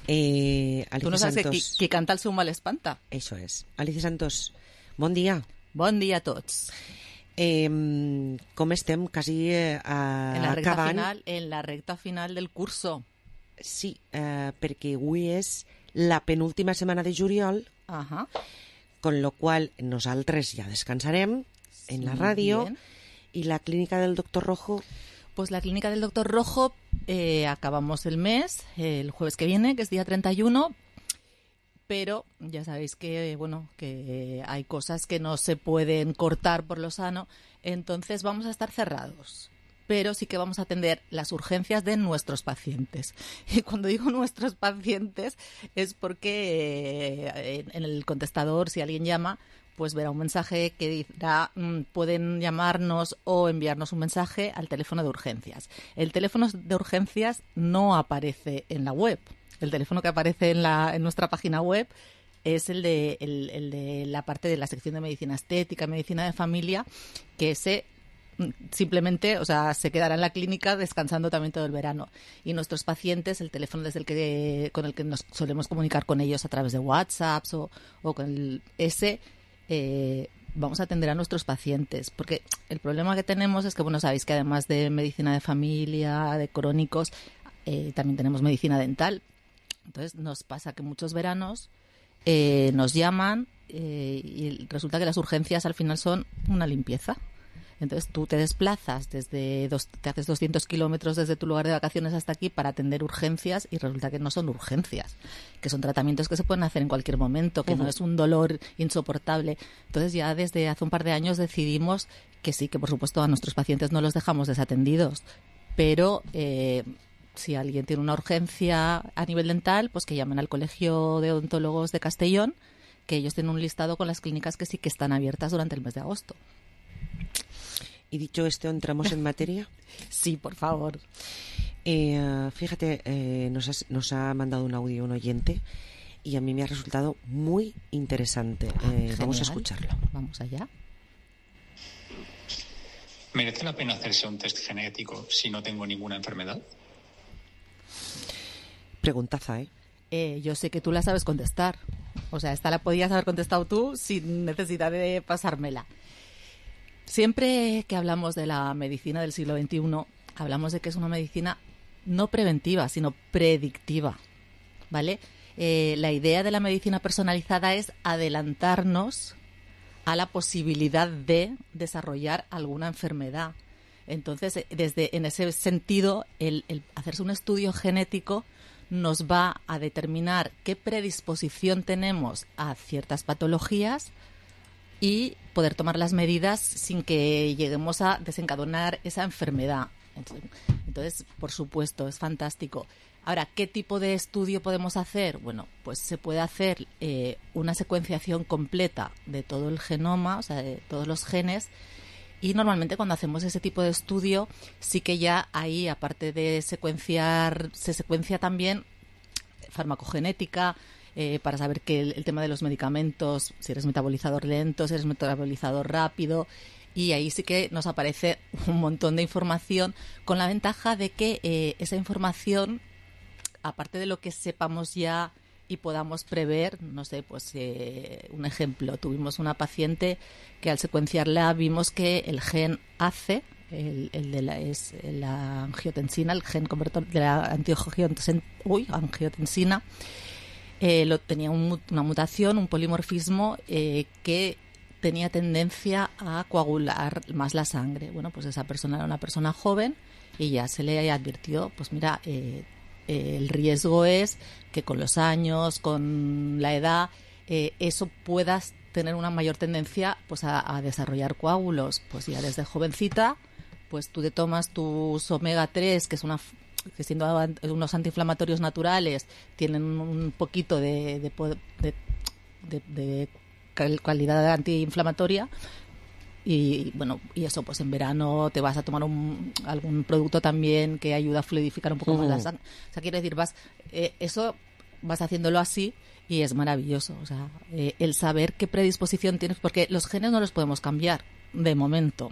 Alicia Tú no sabes Santos... qui canta el seu mal espanta. Eso es. Alicia Santos, bon dia. Bon dia a tots. Com estem quasi acabant... En la recta final del curso. Sí, perquè avui és la penúltima setmana de juliol, con lo cual nosaltres ja descansarem en la ràdio i la clínica del doctor Rojo... Pues la clínica del doctor Rojo acabamos el mes, el jueves que viene, que es día 31, pero ya sabéis que, bueno, que hay cosas que no se pueden cortar por lo sano, entonces vamos a estar cerrados. Pero sí que vamos a atender las urgencias de nuestros pacientes. Y cuando digo nuestros pacientes es porque en el contestador, si alguien llama, pues verá un mensaje que dirá pueden llamarnos o enviarnos un mensaje al teléfono de urgencias. El teléfono de urgencias no aparece en la web. El teléfono que aparece en nuestra página web es el de la parte de la sección de medicina estética, medicina de familia, que simplemente, o sea, se quedará en la clínica descansando también todo el verano. Y nuestros pacientes, el teléfono con el que nos solemos comunicar con ellos a través de WhatsApp o con vamos a atender a nuestros pacientes, porque el problema que tenemos es que, bueno, sabéis que además de medicina de familia, de crónicos, también tenemos medicina dental. Entonces nos pasa que muchos veranos nos llaman y resulta que las urgencias al final son una limpieza. Entonces tú te desplazas te haces 200 kilómetros desde tu lugar de vacaciones hasta aquí para atender urgencias y resulta que no son urgencias, que son tratamientos que se pueden hacer en cualquier momento, que no es un dolor insoportable. Entonces ya desde hace un par de años decidimos que sí, que por supuesto a nuestros pacientes no los dejamos desatendidos, pero si alguien tiene una urgencia a nivel dental, pues que llamen al Colegio de Odontólogos de Castellón, que ellos tienen un listado con las clínicas que sí que están abiertas durante el mes de agosto. Y dicho esto, ¿entramos en materia? Sí, por favor. Fíjate, nos ha mandado un audio un oyente y a mí me ha resultado muy interesante. Vamos a escucharlo. Vamos allá. ¿Merece la pena hacerse un test genético si no tengo ninguna enfermedad? Preguntaza, Yo sé que tú la sabes contestar. O sea, esta la podías haber contestado tú sin necesidad de pasármela. Siempre que hablamos de la medicina del siglo XXI, hablamos de que es una medicina no preventiva, sino predictiva, ¿vale? La idea de la medicina personalizada es adelantarnos a la posibilidad de desarrollar alguna enfermedad. Entonces, en ese sentido, el hacerse un estudio genético nos va a determinar qué predisposición tenemos a ciertas patologías y poder tomar las medidas sin que lleguemos a desencadenar esa enfermedad. Entonces, por supuesto, es fantástico. Ahora, ¿qué tipo de estudio podemos hacer? Bueno, pues se puede hacer una secuenciación completa de todo el genoma, o sea, de todos los genes, y normalmente cuando hacemos ese tipo de estudio sí que ya ahí, aparte de secuenciar, se secuencia también farmacogenética, para saber que el tema de los medicamentos, si eres metabolizador lento, si eres metabolizador rápido, y ahí sí que nos aparece un montón de información, con la ventaja de que esa información, aparte de lo que sepamos ya y podamos prever, no sé, pues un ejemplo, tuvimos una paciente que al secuenciarla vimos que el gen ACE, el de la angiotensina, el gen convertor de la angiotensina, tenía una mutación, un polimorfismo que tenía tendencia a coagular más la sangre. Bueno, pues esa persona era una persona joven y ya se le advirtió, pues mira, el riesgo es que con los años, con la edad, eso puedas tener una mayor tendencia pues a desarrollar coágulos. Pues ya desde jovencita, pues tú te tomas tus omega 3, que siendo unos antiinflamatorios naturales, tienen un poquito de calidad antiinflamatoria, y bueno, y eso, pues en verano te vas a tomar algún producto también que ayuda a fluidificar un poco más la sangre. O sea, quiero decir, eso vas haciéndolo así y es maravilloso. O sea, el saber qué predisposición tienes, porque los genes no los podemos cambiar de momento,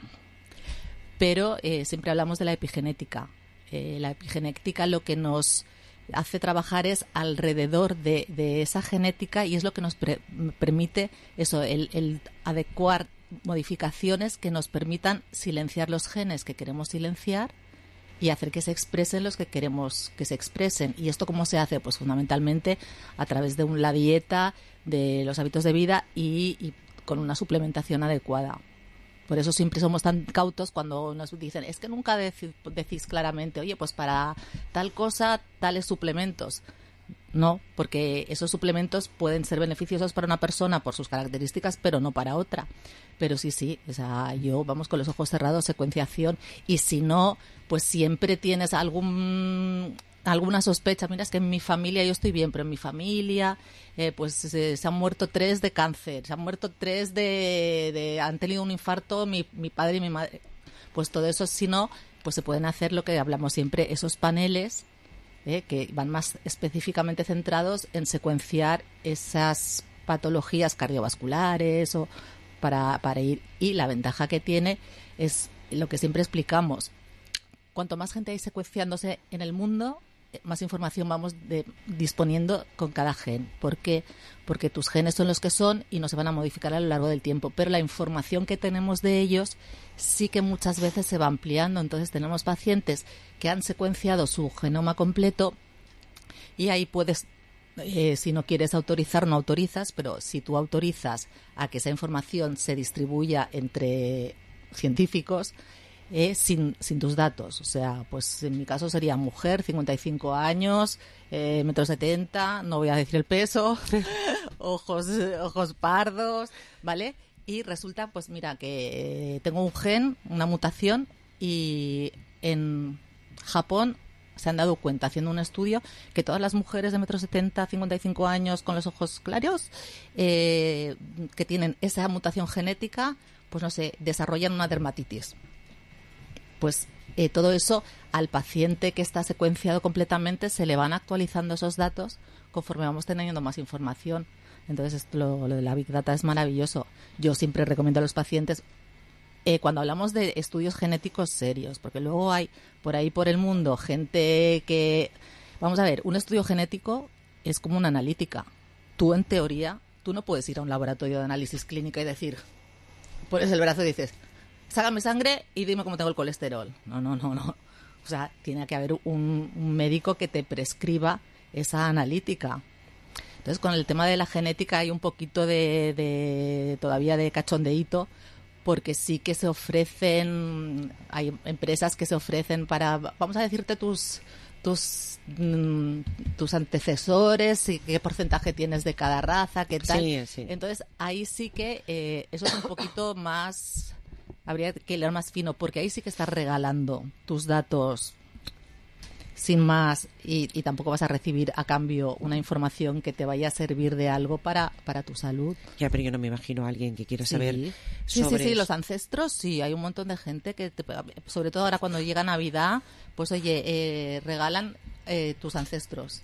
pero siempre hablamos de la epigenética. La epigenética lo que nos hace trabajar es alrededor de esa genética, y es lo que nos permite eso, el adecuar modificaciones que nos permitan silenciar los genes que queremos silenciar y hacer que se expresen los que queremos que se expresen. ¿Y esto cómo se hace? Pues fundamentalmente a través de la dieta, de los hábitos de vida y con una suplementación adecuada. Por eso siempre somos tan cautos cuando nos dicen, es que nunca decís claramente, oye, pues para tal cosa, tales suplementos. No, porque esos suplementos pueden ser beneficiosos para una persona por sus características, pero no para otra. Pero sí, o sea, yo, vamos, con los ojos cerrados, secuenciación, y si no, pues siempre tienes alguna sospecha. Mira, es que en mi familia yo estoy bien, pero en mi familia pues se han muerto 3 de cáncer, se han muerto 3 han tenido un infarto mi padre y mi madre. Pues todo eso, si no, pues se pueden hacer lo que hablamos siempre, esos paneles que van más específicamente centrados en secuenciar esas patologías cardiovasculares o para ir. Y la ventaja que tiene es lo que siempre explicamos: cuanto más gente hay secuenciándose en el mundo, más información vamos disponiendo con cada gen. ¿Por qué? Porque tus genes son los que son y no se van a modificar a lo largo del tiempo, pero la información que tenemos de ellos sí que muchas veces se va ampliando. Entonces tenemos pacientes que han secuenciado su genoma completo, y ahí puedes, si no quieres autorizar, no autorizas, pero si tú autorizas a que esa información se distribuya entre científicos, sin tus datos. O sea, pues en mi caso sería mujer, 55 años, 1,70 m, no voy a decir el peso, ojos pardos, ¿vale? Y resulta, pues mira, que tengo un gen, una mutación, y en Japón se han dado cuenta, haciendo un estudio, que todas las mujeres de 1,70 m, 55 años, con los ojos claros, que tienen esa mutación genética, pues no sé, desarrollan una dermatitis. Pues todo eso al paciente que está secuenciado completamente se le van actualizando esos datos conforme vamos teniendo más información. Entonces lo de la Big Data es maravilloso. Yo siempre recomiendo a los pacientes, cuando hablamos de estudios genéticos serios, porque luego hay por ahí por el mundo gente que... Vamos a ver, un estudio genético es como una analítica. Tú, en teoría, tú no puedes ir a un laboratorio de análisis clínica y decir, pones el brazo y dices, sácame sangre y dime cómo tengo el colesterol. No. O sea, tiene que haber un médico que te prescriba esa analítica. Entonces, con el tema de la genética hay un poquito todavía de cachondeíto, porque sí que se ofrecen, hay empresas que se ofrecen para, vamos a decirte tus antecesores y qué porcentaje tienes de cada raza, qué tal. Sí. Entonces, ahí sí que eso es un poquito más, habría que hilar más fino, porque ahí sí que estás regalando tus datos sin más y tampoco vas a recibir a cambio una información que te vaya a servir de algo para tu salud. Ya, pero yo no me imagino a alguien que quiera saber sobre... Sí, los ancestros, sí, hay un montón de gente que, sobre todo ahora cuando llega Navidad, pues oye, regalan tus ancestros.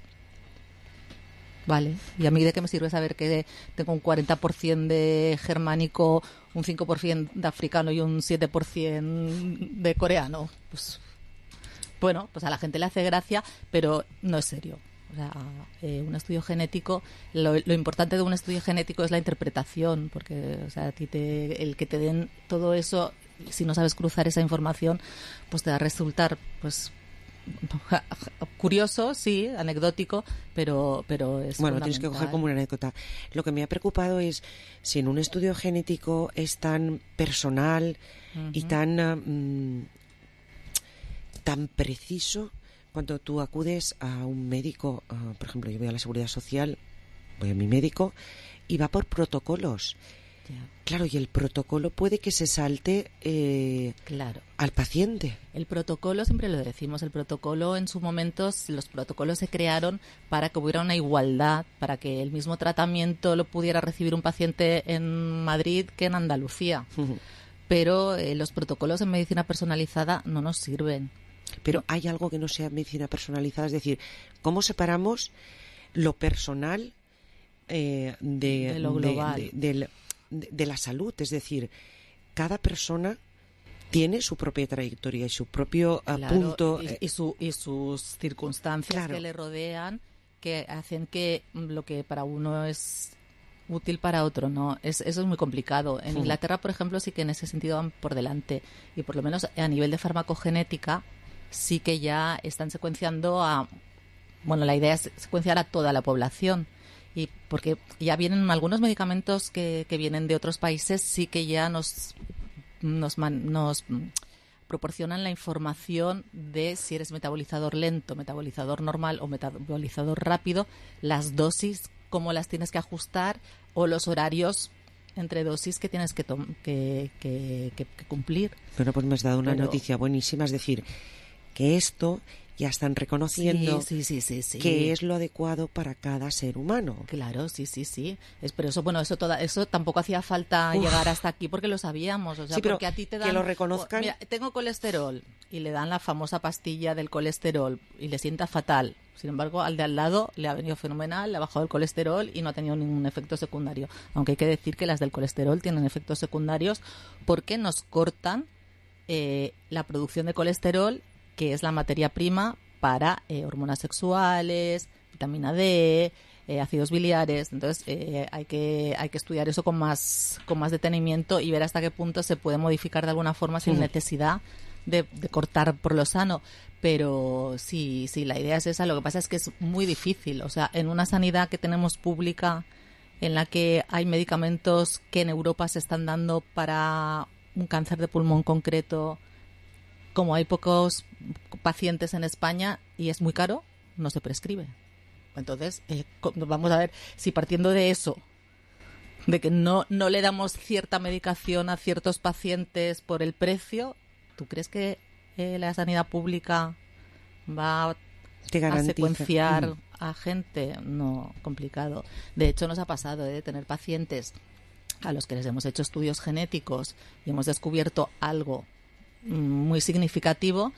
Vale, ¿y a mí de qué me sirve saber que tengo un 40% de germánico, un 5% de africano y un 7% de coreano? Pues... Bueno, pues a la gente le hace gracia, pero no es serio. O sea, un estudio genético, lo importante de un estudio genético es la interpretación, porque, o sea, el que te den todo eso, si no sabes cruzar esa información, pues te va a resultar, pues, curioso, sí, anecdótico, pero es bueno, tienes que coger como una anécdota. Lo que me ha preocupado es si en un estudio genético es tan personal y tan preciso, cuando tú acudes a un médico, por ejemplo, yo voy a la Seguridad Social, voy a mi médico y va por protocolos. Ya. Claro, y el protocolo puede que se salte al paciente. El protocolo, siempre lo decimos, el protocolo en su momento, los protocolos se crearon para que hubiera una igualdad, para que el mismo tratamiento lo pudiera recibir un paciente en Madrid que en Andalucía. Pero los protocolos en medicina personalizada no nos sirven. Pero hay algo que no sea medicina personalizada, es decir, ¿cómo separamos lo personal de lo global? De la salud, es decir, cada persona tiene su propia trayectoria y su propio punto y sus circunstancias que le rodean, que hacen que lo que para uno es útil para otro no. Eso es muy complicado. En Inglaterra, por ejemplo, sí que en ese sentido van por delante, y por lo menos a nivel de farmacogenética sí que ya están secuenciando la idea es secuenciar a toda la población. Y porque ya vienen algunos medicamentos que vienen de otros países, sí que ya nos proporcionan la información de si eres metabolizador lento, metabolizador normal o metabolizador rápido, las dosis, cómo las tienes que ajustar, o los horarios entre dosis que tienes que cumplir. Bueno, pues me has dado una noticia buenísima, es decir, que esto ya están reconociendo que es lo adecuado para cada ser humano. Claro, sí. Pero eso tampoco hacía falta llegar hasta aquí porque lo sabíamos. O sea, porque a ti te dan... Que lo reconozcan... Mira, tengo colesterol y le dan la famosa pastilla del colesterol y le sienta fatal. Sin embargo, al de al lado le ha venido fenomenal, le ha bajado el colesterol y no ha tenido ningún efecto secundario. Aunque hay que decir que las del colesterol tienen efectos secundarios porque nos cortan la producción de colesterol, que es la materia prima para hormonas sexuales, vitamina D, ácidos biliares. Entonces hay que estudiar eso con más detenimiento y ver hasta qué punto se puede modificar de alguna forma sin necesidad de cortar por lo sano. Pero sí, la idea es esa. Lo que pasa es que es muy difícil. O sea, en una sanidad que tenemos pública, en la que hay medicamentos que en Europa se están dando para un cáncer de pulmón concreto, como hay pocos pacientes en España y es muy caro, no se prescribe. Entonces, vamos a ver si partiendo de eso, de que no le damos cierta medicación a ciertos pacientes por el precio, ¿tú crees que la sanidad pública va a secuenciar a gente? No, complicado. De hecho, nos ha pasado de tener pacientes a los que les hemos hecho estudios genéticos y hemos descubierto algo muy significativo,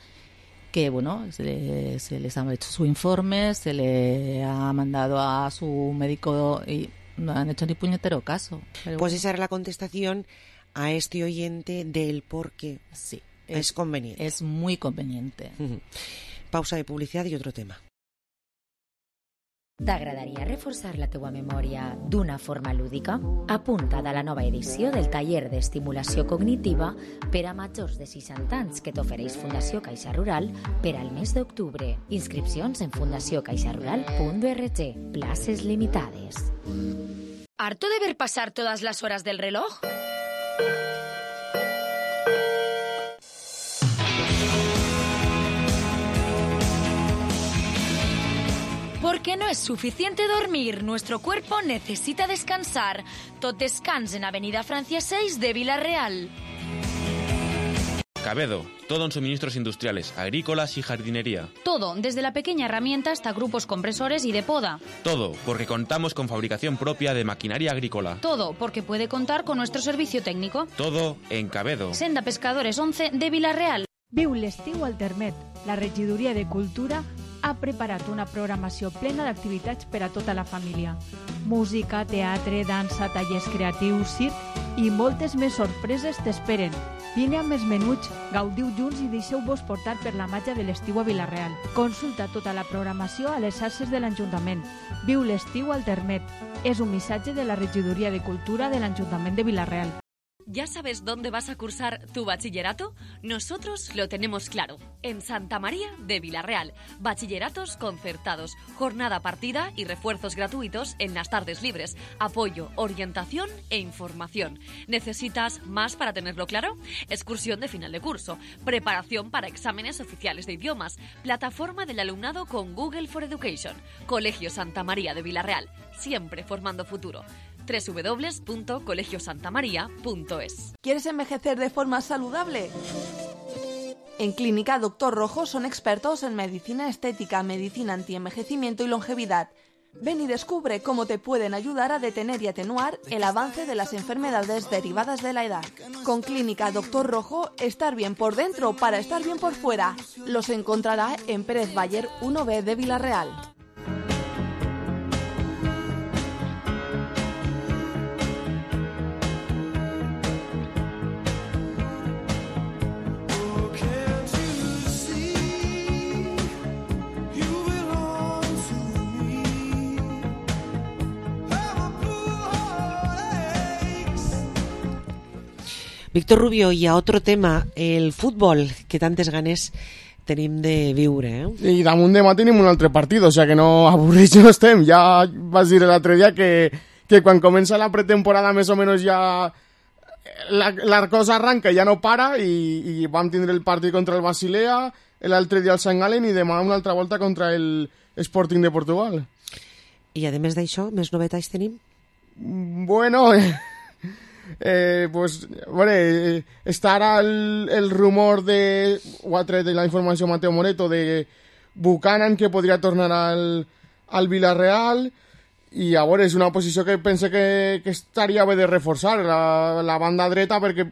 que bueno, se les ha hecho su informe, se le ha mandado a su médico y no han hecho ni puñetero caso. Pero pues esa era la contestación a este oyente del por qué. Sí. Es conveniente. Es muy conveniente. Pausa de publicidad i otro tema. T'agradaria reforçar la teua memòria d'una forma lúdica? Apunta't a la nova edició del taller d'estimulació cognitiva per a majors de 60 anys que t'ofereix Fundació Caixa Rural per al mes d'octubre. Inscripcions en fundaciocaixarural.org. Places limitades. ¿Harto de ver pasar todas las horas del reloj? Porque no es suficiente dormir, nuestro cuerpo necesita descansar. Tot descans en Avenida Francia 6 de Vila-real. Cabedo, todo en suministros industriales, agrícolas y jardinería. Todo, desde la pequeña herramienta hasta grupos compresores y de poda. Todo, porque contamos con fabricación propia de maquinaria agrícola. Todo, porque puede contar con nuestro servicio técnico. Todo en Cabedo. Senda Pescadores 11 de Vila-real. Viu l'estiu al Termet. La regidoria de Cultura ha preparat una programació plena d'activitats per a tota la família. Música, teatre, dansa, tallers creatius, circ i moltes més sorpreses t'esperen. Vine amb els menuts, gaudiu junts i deixeu-vos portar per la màgia de l'estiu a Vila-real. Consulta tota la programació a les xarxes de l'Ajuntament. Viu l'estiu al Termet. És un missatge de la regidoria de Cultura de l'Ajuntament de Vila-real. ¿Ya sabes dónde vas a cursar tu bachillerato? Nosotros lo tenemos claro. En Santa María de Vila-real. Bachilleratos concertados, jornada partida y refuerzos gratuitos en las tardes libres. Apoyo, orientación e información. ¿Necesitas más para tenerlo claro? Excursión de final de curso. Preparación para exámenes oficiales de idiomas. Plataforma del alumnado con Google for Education. Colegio Santa María de Vila-real. Siempre formando futuro. www.colegiosantamaria.es. ¿Quieres envejecer de forma saludable? En Clínica Doctor Rojo son expertos en medicina estética, medicina antienvejecimiento y longevidad. Ven y descubre cómo te pueden ayudar a detener y atenuar el avance de las enfermedades derivadas de la edad. Con Clínica Doctor Rojo, estar bien por dentro para estar bien por fuera. Los encontrará en Pérez Bayer 1B de Vila-real. Víctor Rubio, i a otro tema, el futbol, que tantes ganes tenim de viure. I damunt demà tenim un altre partit, o sigui que no avorrits no estem. Ja vas dir l'altre dia que quan comença la pretemporada més o menys ja la cosa arranca, ja no para, i vam tindre el partit contra el Basilea, l'altre dia el Sant Galen i demà una altra volta contra el Sporting de Portugal. I a més d'això, més novetats tenim? Bueno... pues bueno, està ara el rumor ho ha tret de la informació Mateo Moreto de Buchanan, que podria tornar al Vila-real, i a veure, és una posició que pense que estaria bé de reforçar la banda dreta, perquè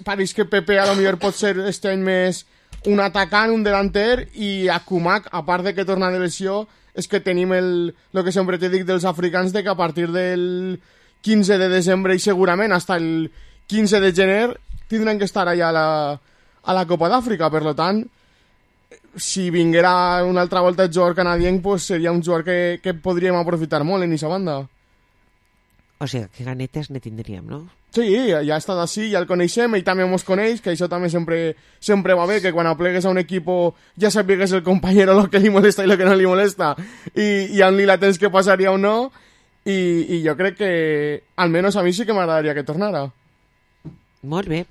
pareix que Pepe a lo millor pot ser este any més un atacant, un delanter, i a Kumak, a part de que torna de lesió, és que tenim el que sempre te dic dels africans, de que a partir del 15 de desembre i segurament hasta el 15 de gener tindran que estar allà a la Copa d'Àfrica. Per tant, si vinguera una altra volta el jugador canadenc, pues seria un jugador que podríem aprofitar molt en aquesta banda. O sigui, que ganetes ne tindríem, no? Sí, ja ha estat així, ja el coneixem, ell també mos coneix, que això també sempre va bé, que quan aplegues a un equip ja sapigues el companyero el que li molesta i el que no li molesta, i on li la tens que passaria o no. I jo crec que, almenys a mi sí que m'agradaria que tornara. Molt bé.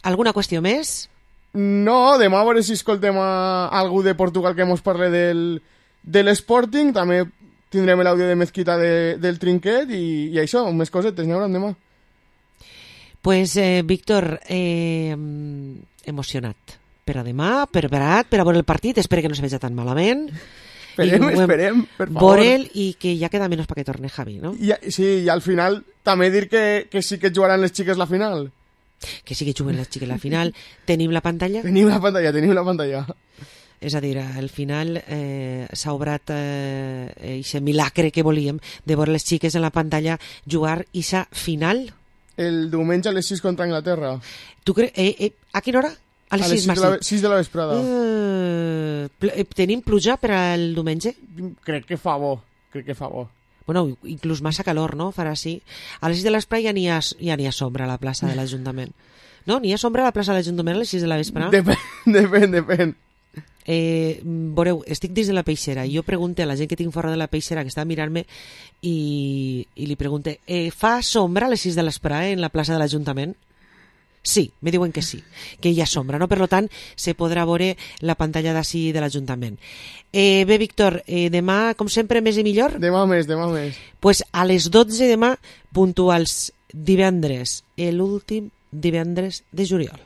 Alguna qüestió més? No, demà a veure si escoltem a algú de Portugal que mos parle de l'Sporting. També tindrem l'àudio de Mezquita del Trinquet i això, més cosetes, n'hi haurà demà. Pues, Víctor, emocionat per a demà, preparat per a veure el partit. Espero que no se veja tan malament. Esperem, per favor. Vorel, i que ja queda menys perquè torne Javi, no? Sí, i al final també dir que sí que jugaran les xiques la final. que sí que juguen les xiques a la final. Tenim la pantalla? Tenim la pantalla. És a dir, al final s'ha obrat aquest milagre que volíem de veure les xiques en la pantalla jugar aquesta final. El diumenge a les 6 contra Anglaterra. Tu creus? A quina hora? A les 6 de la vesprada. Tenim pluja per al diumenge? Crec que fa bo. Bueno, inclús massa calor, no? Farà així. A les 6 de l'espre ja n'hi ha sombra a la plaça de l'Ajuntament. No? N'hi ha sombra a la plaça de l'Ajuntament a les 6 de la vespre? Depèn. Veureu, estic dins de la peixera i jo pregunto a la gent que tinc fora de la peixera que està a mirar-me i li pregunto fa sombra a les 6 de l'espre en la plaça de l'Ajuntament? Sí, me diuen que sí, que hi ha sombra, no? Per tant, se podrà veure la pantalla d'ací de l'Ajuntament. Bé, Víctor, demà, com sempre, més i millor? Demà més. Pues a les 12 demà, puntuals, divendres, l'últim divendres de juliol.